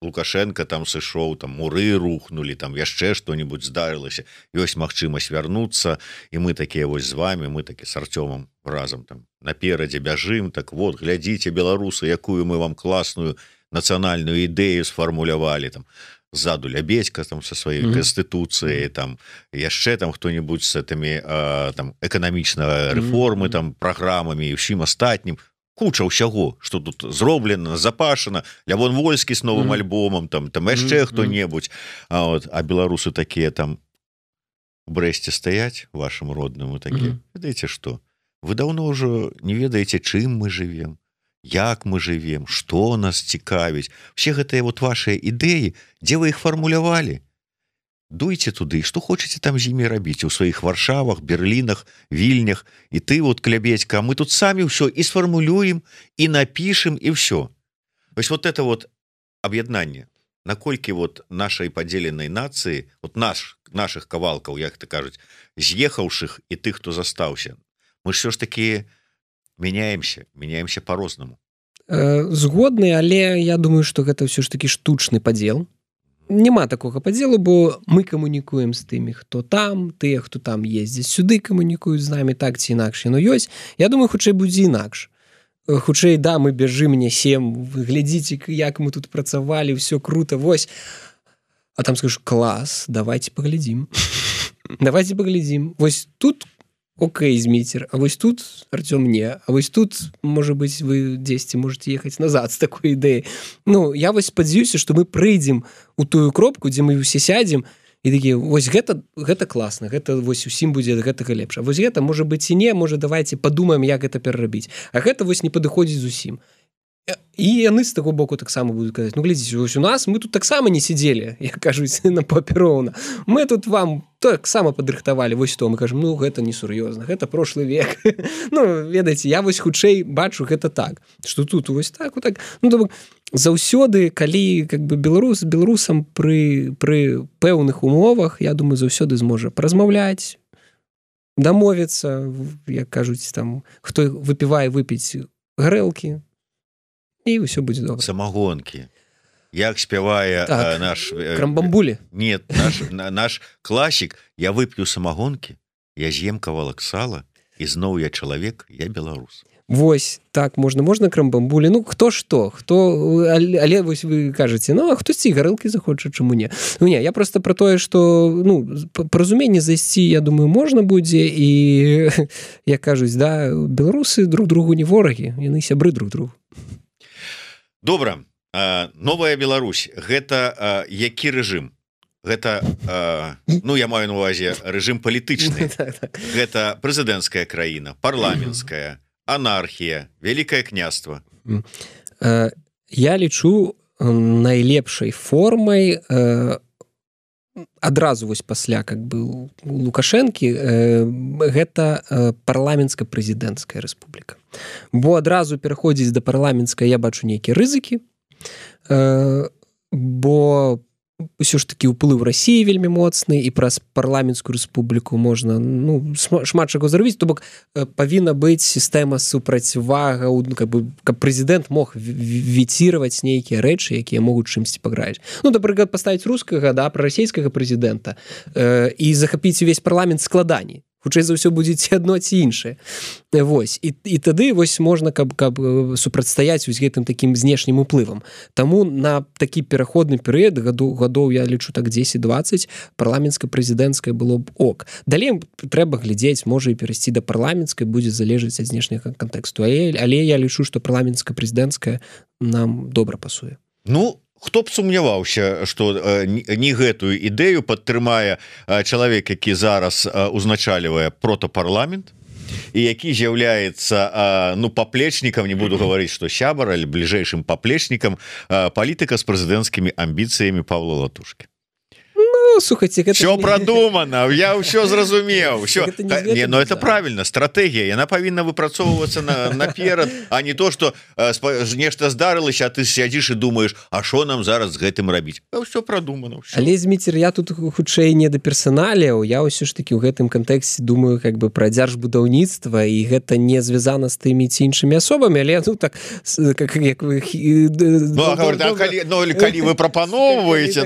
Лукашенко там сышоў, там муры рухнули, там яшчэ што-нибудь здарылася. Ёсць магчымасць вярнуцца, і мы такія вось з вами, мы такі с Артёмом разам там наперадзе бяжым, так вот, глядзіце, беларусы, якую мы вам класную нацыянальную ідэю сфармулявалі, там ззаду Лябедзька там со сваёй канстытуцыяй, там яшчэ там хто-нибудь с этими там эканамічнага рэформы, там праграмамі і ўсім астатнім. Куча ўсяго, што тут зроблена, запашана, Лявон Вольскі з новым альбомам, там яшчэ хто-небудзь, а беларусы такія там у Брэсце стаяць, вашым родным, такія, ведаеце што? Вы даўно ўжо не ведаеце, чым мы жывем, як мы жывем, што нас цікавіць. Все гэтыя вот вашыя ідэі, дзе вы іх фармулявалі? Дуйце туды, што хочаце там з імі рабіць у сваіх Варшавах, Берлінах, Вільнях, і ты вот, Клябедзька, мы тут самі ўсё і сфармулюем, і напішем, і ўсё. Вось вот это вот аб'яднанне, наколькі вот нашай падзеленай нацыі, вот нашых кавалкаў, як ты кажуць, з'ехаўшых і тых, хто застаўся, мы ж все ж таки меняемся по-рознаму. Згодны, але я думаю, што гэта ўсё ж такі штучны падзел. Няма такога падзелу, бо мы камунікуем з тымі, хто там, тыя, хто там ездзяць сюды, камунікуюць з намі так ці інакш. Ну ёсць. Я думаю, хутчэй будзе інакш. Хутчэй, да, мы бяжым, нясем, вы глядзіце, як мы тут працавалі, ўсё круто, вось. А там скажу, клас, давайте паглядзім. Давайте паглядзім. Вось тут окей, Зміцер, а вось тут Артём не, а вось тут, можа быць, вы дзесьці можете ехаць назад з такой ідэі. Ну, я вось спадзяюся, што мы прыйдзем у тую кропку, дзе мы усе сядзем, і такі, вось гэта класна, гэта вось усім будзе гэтага лепш. А вось гэта, можа быць, і не, можа, давайте падумаем, як гэта перарабіць. А гэта вось не падыходзіць зусім. І яны з таго боку таксама будуць казаць, ну, глядзіце, вось у нас, мы тут таксама не сидзелі, як кажуць, на папіроўна. Мы тут вам таксама падрыхтавалі, вось то, мы кажам, ну, гэта не сур'ёзна, гэта прошлы век. Ну, ведаеце, я вось хутчэй бачу гэта так, што тут вось так, вот так. Ну, то заўсёды, калі как бы беларусам пры пэўных умовах, я думаю, заўсёды зможа паразмаўляць, дамовіцца, як кажуць, там, хто выпівае выпіць гарэлкі, і ўсё будзе добра. Самагонкі. Як спявае так, наш... Крамбамбулі? Нет, наш класік. Я вып'ю самагонкі, я з'ем кавалак сала, і зноў я чалавек, я беларус. Вось, так, можна крамбамбулі. Ну, хто што? Але вось вы кажаце, ну, а хтосьці гарэлкі захоча, чаму не? Ну, не, я просто про тое, што, ну, паразуменне зайсці, я думаю, можна будзе, і, як кажуць, да, беларусы друг другу не ворагі, яны сябры друг другу. Добра, новая Беларусь, гэта які рэжым? Гэта, ну, я маю на увазе рэжым палітычны. Гэта прэзідэнцкая краіна, парламенцкая, анархія, вялікае княства. Я лічу найлепшай формай адразу вось пасля как бы у Лукашэнкі гэта парламенцка-прэзідэнцкая рэспубліка. Бо адразу пераходзіць да парламенцкай я бачу нейкія рызыкі, бо ўсё ж такі ўплыў Расіі вельмі моцны, і праз парламенцкую рэспубліку можна, ну, шмат чаго зрабіць, то бок павінна быць сістэма супрацьвагаў, ну, каб прэзідэнт мог віціраваць нейкія рэчы, якія могуць чымсьці паграць. Ну, напрыклад, паставіць рускага, да, прарасійскага прэзідэнта і захапіць увесь парламент складаней. Хутчэй за ўсё будзе ці адно, ці іншае. Вось. І тады вось можна, каб супрацьстаяць вось гэтым такім знешнім уплывам. Таму на такі пераходны перыяд, гадоў, я лічу так 10-20, парламенцка-прэзідэнцкая было б ок. Далей трэба глядзець, можа і перайсці да парламенцкай, будзе залежаць ад знешняга кантэксту. Але я лічу, што парламенцка-прэзідэнцкая нам добра пасуе. Ну, хто б сумняваўся, што не гэтую ідэю падтрымае чалавек, які зараз узначальвае протапарламент і які з'яўляецца, ну, паплечнікам, не буду гаварыць, што сябар, але бліжэйшым паплечнікам палітыка з прэзідэнцкімі амбіцыямі Павла Латушкі. Ну, слухайте, все продумано, я все зразумеў. Не, но это правильно, стратегія, яна павінна выпрацоўвацца наперад, а не то, што нешта здарылася, а ты сядзіш і думаеш, а што нам зараз з гэтым рабіць? Все продумано. Але, Зміцер, я тут хутчэй не да персаналіяў, я ўсё ж такі ў гэтым кантэксце думаю как бы пра дзяржбудаўніцтва, і гэта не звязана з тымі ці іншымі асобамі, але ну так, як вы... Ну, калі вы прапаноўваеце,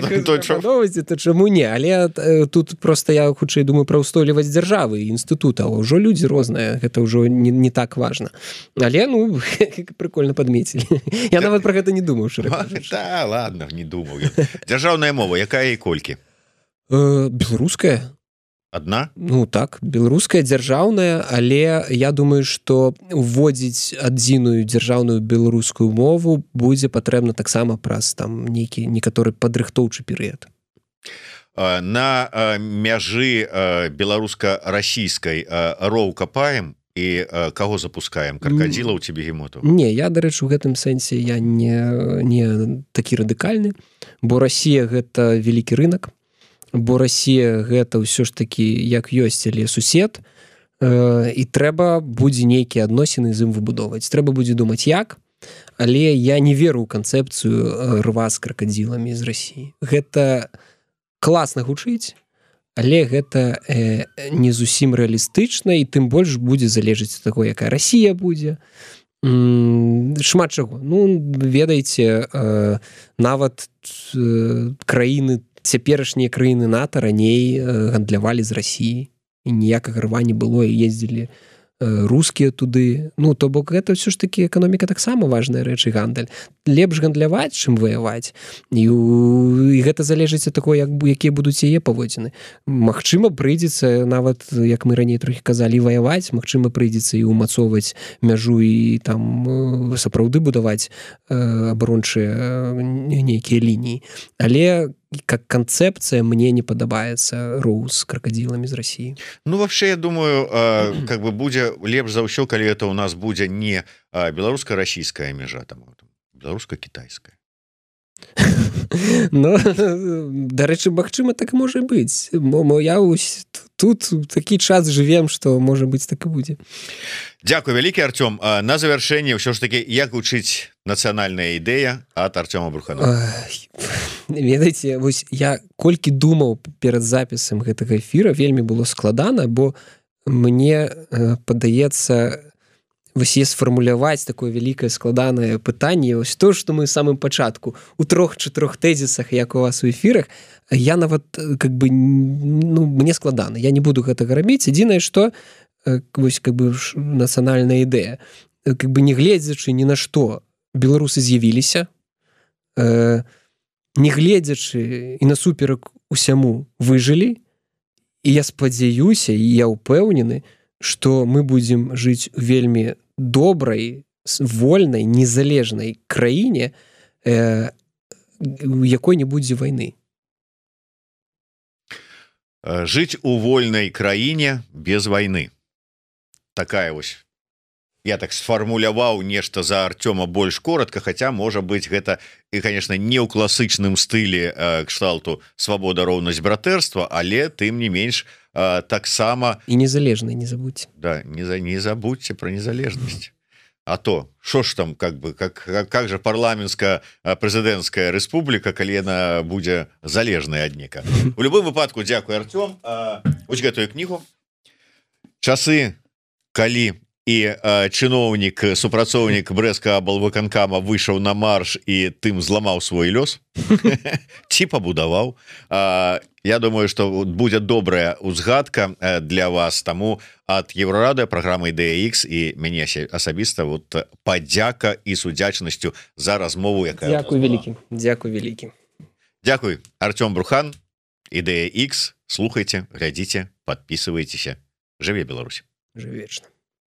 то чаму не? Але тут просто я хутчэй думаю пра ўстойлівасць дзяржавы і інстытута, ўжо людзі розныя, гэта ўжо не так важна. Але, ну, прикольна падмецілі. Я нават пра гэта не думаў. Да, ладно, не думаў. Дзяржаўная мова, якая і колькі? Беларуская. Адна? Ну так, беларуская дзяржаўная, але я думаю, што уводзіць адзіную дзяржаўную беларускую мову будзе патрэбна таксама праз там нейкі некаторы падрыхтоўчы перыяд. На мяжы беларуска-расійскай роў капаем і каго запускаем? Кракадзілаў ці бегемотаў? Не, я, дарэчы, у гэтым сэнсе я не такі радыкальны, бо Расія гэта вялікі рынак, бо Расія гэта ўсё ж такі як ёсць, але сусед, і трэба будзе нейкія адносіны з ім выбудоўваць. Трэба будзе думаць як, але я не веру ў канцэпцыю рва з кракадзіламі з Расіі. Гэта класна гучыць, але гэта не зусім рэалістычна і тым больш будзе залежыць ад таго, якая Расія будзе. Шмат чаго. Ну, ведаеце, нават краіны, цяперашнія краіны НАТО раней гандлявалі з Расіі, і ніякага рва не было, і ездзілі рускія туды. Ну, то бок гэта ўсё ж такі эканоміка таксама важная рэч і гандаль. Лепш гандляваць, чым ваяваць. І гэта залежыць ад таго, якія будуць яе паводзіны. Магчыма, прыйдзецца, нават, як мы раней трохі казалі, ваяваць, магчыма, прыйдзецца і ўмацоўваць мяжу і там сапраўды будаваць абарончыя нейкія лініі. Але как концепция мне не падабаецца роў з крокодиламі з России. Ну, вообще, я думаю, как бы будзе лепш за ўсё, калі это у нас будзе не беларуска-расійская мяжа, там беларуска-кітайская. Ну, дарэчы, магчыма, так можа быць. Я тут такі час жывем, што можа быць так і будзе. Дзякуй вялікі, Артём. На завяршэнне ўсё ж такі, як гучыць нацыянальная ідэя ад Артёма Бруханова? Ведаеце, вось я колькі думаў перад запісам гэтага эфіра, вельмі было складана, бо мне падаецца вось сфармуляваць такое вялікае складанае пытанне, ось то, што мы ў самым пачатку у 3-4 тэзісах, як у вас у эфірах, я нават как бы, ну, мне складана, я не буду гэтага рабіць. Адзінае, што вось как бы нацыянальная ідэя, как бы не гледзячы ні на што, беларусы з'явіліся, не гледзячы і насуперак усяму выжылі, і я спадзяюся, і я ўпэўнены, што мы будзем жыць у вельмі добрай, вольнай, незалежнай краіне, у якой не будзе вайны. Жыць у вольнай краіне без вайны. Такая вось. Я так сфармуляваў нешта за Артёма больш коротка, хаця, можа быць, гэта, і, конечно, не ў класычным стылі кшталту свабода, роўнасць, братэрства, але, тым не менш, таксама... І незалежнай, не забудьте. Да, не забудьте про незалежнасць. А то, що ж там, как же парламенская прэзідэнцкая рэспубліка, калі яна будзе залежная ад нека. У любым выпадку, дзякуй, Артём. Вось гэтую кнігу. Часы, калі і чыноўнік, супрацоўнік брэскага аблвыканкама выйшаў на марш і тым зламаў свой лёс, ці пабудаваў. Я думаю, што будзе добрая узгадка для вас, таму ад Еўрарадыё, праграмы Ідэя Х і мяне асабіста вот падзяка і з удзячнасцю за размову, якая... Дзякуй вялікі. Дзякуй вялікі. Дзякуй, Артём Брухан, Ідэя Х. Слухайце, глядзіце, подписывайтеся. Жыве Беларусь. Жыве вечна.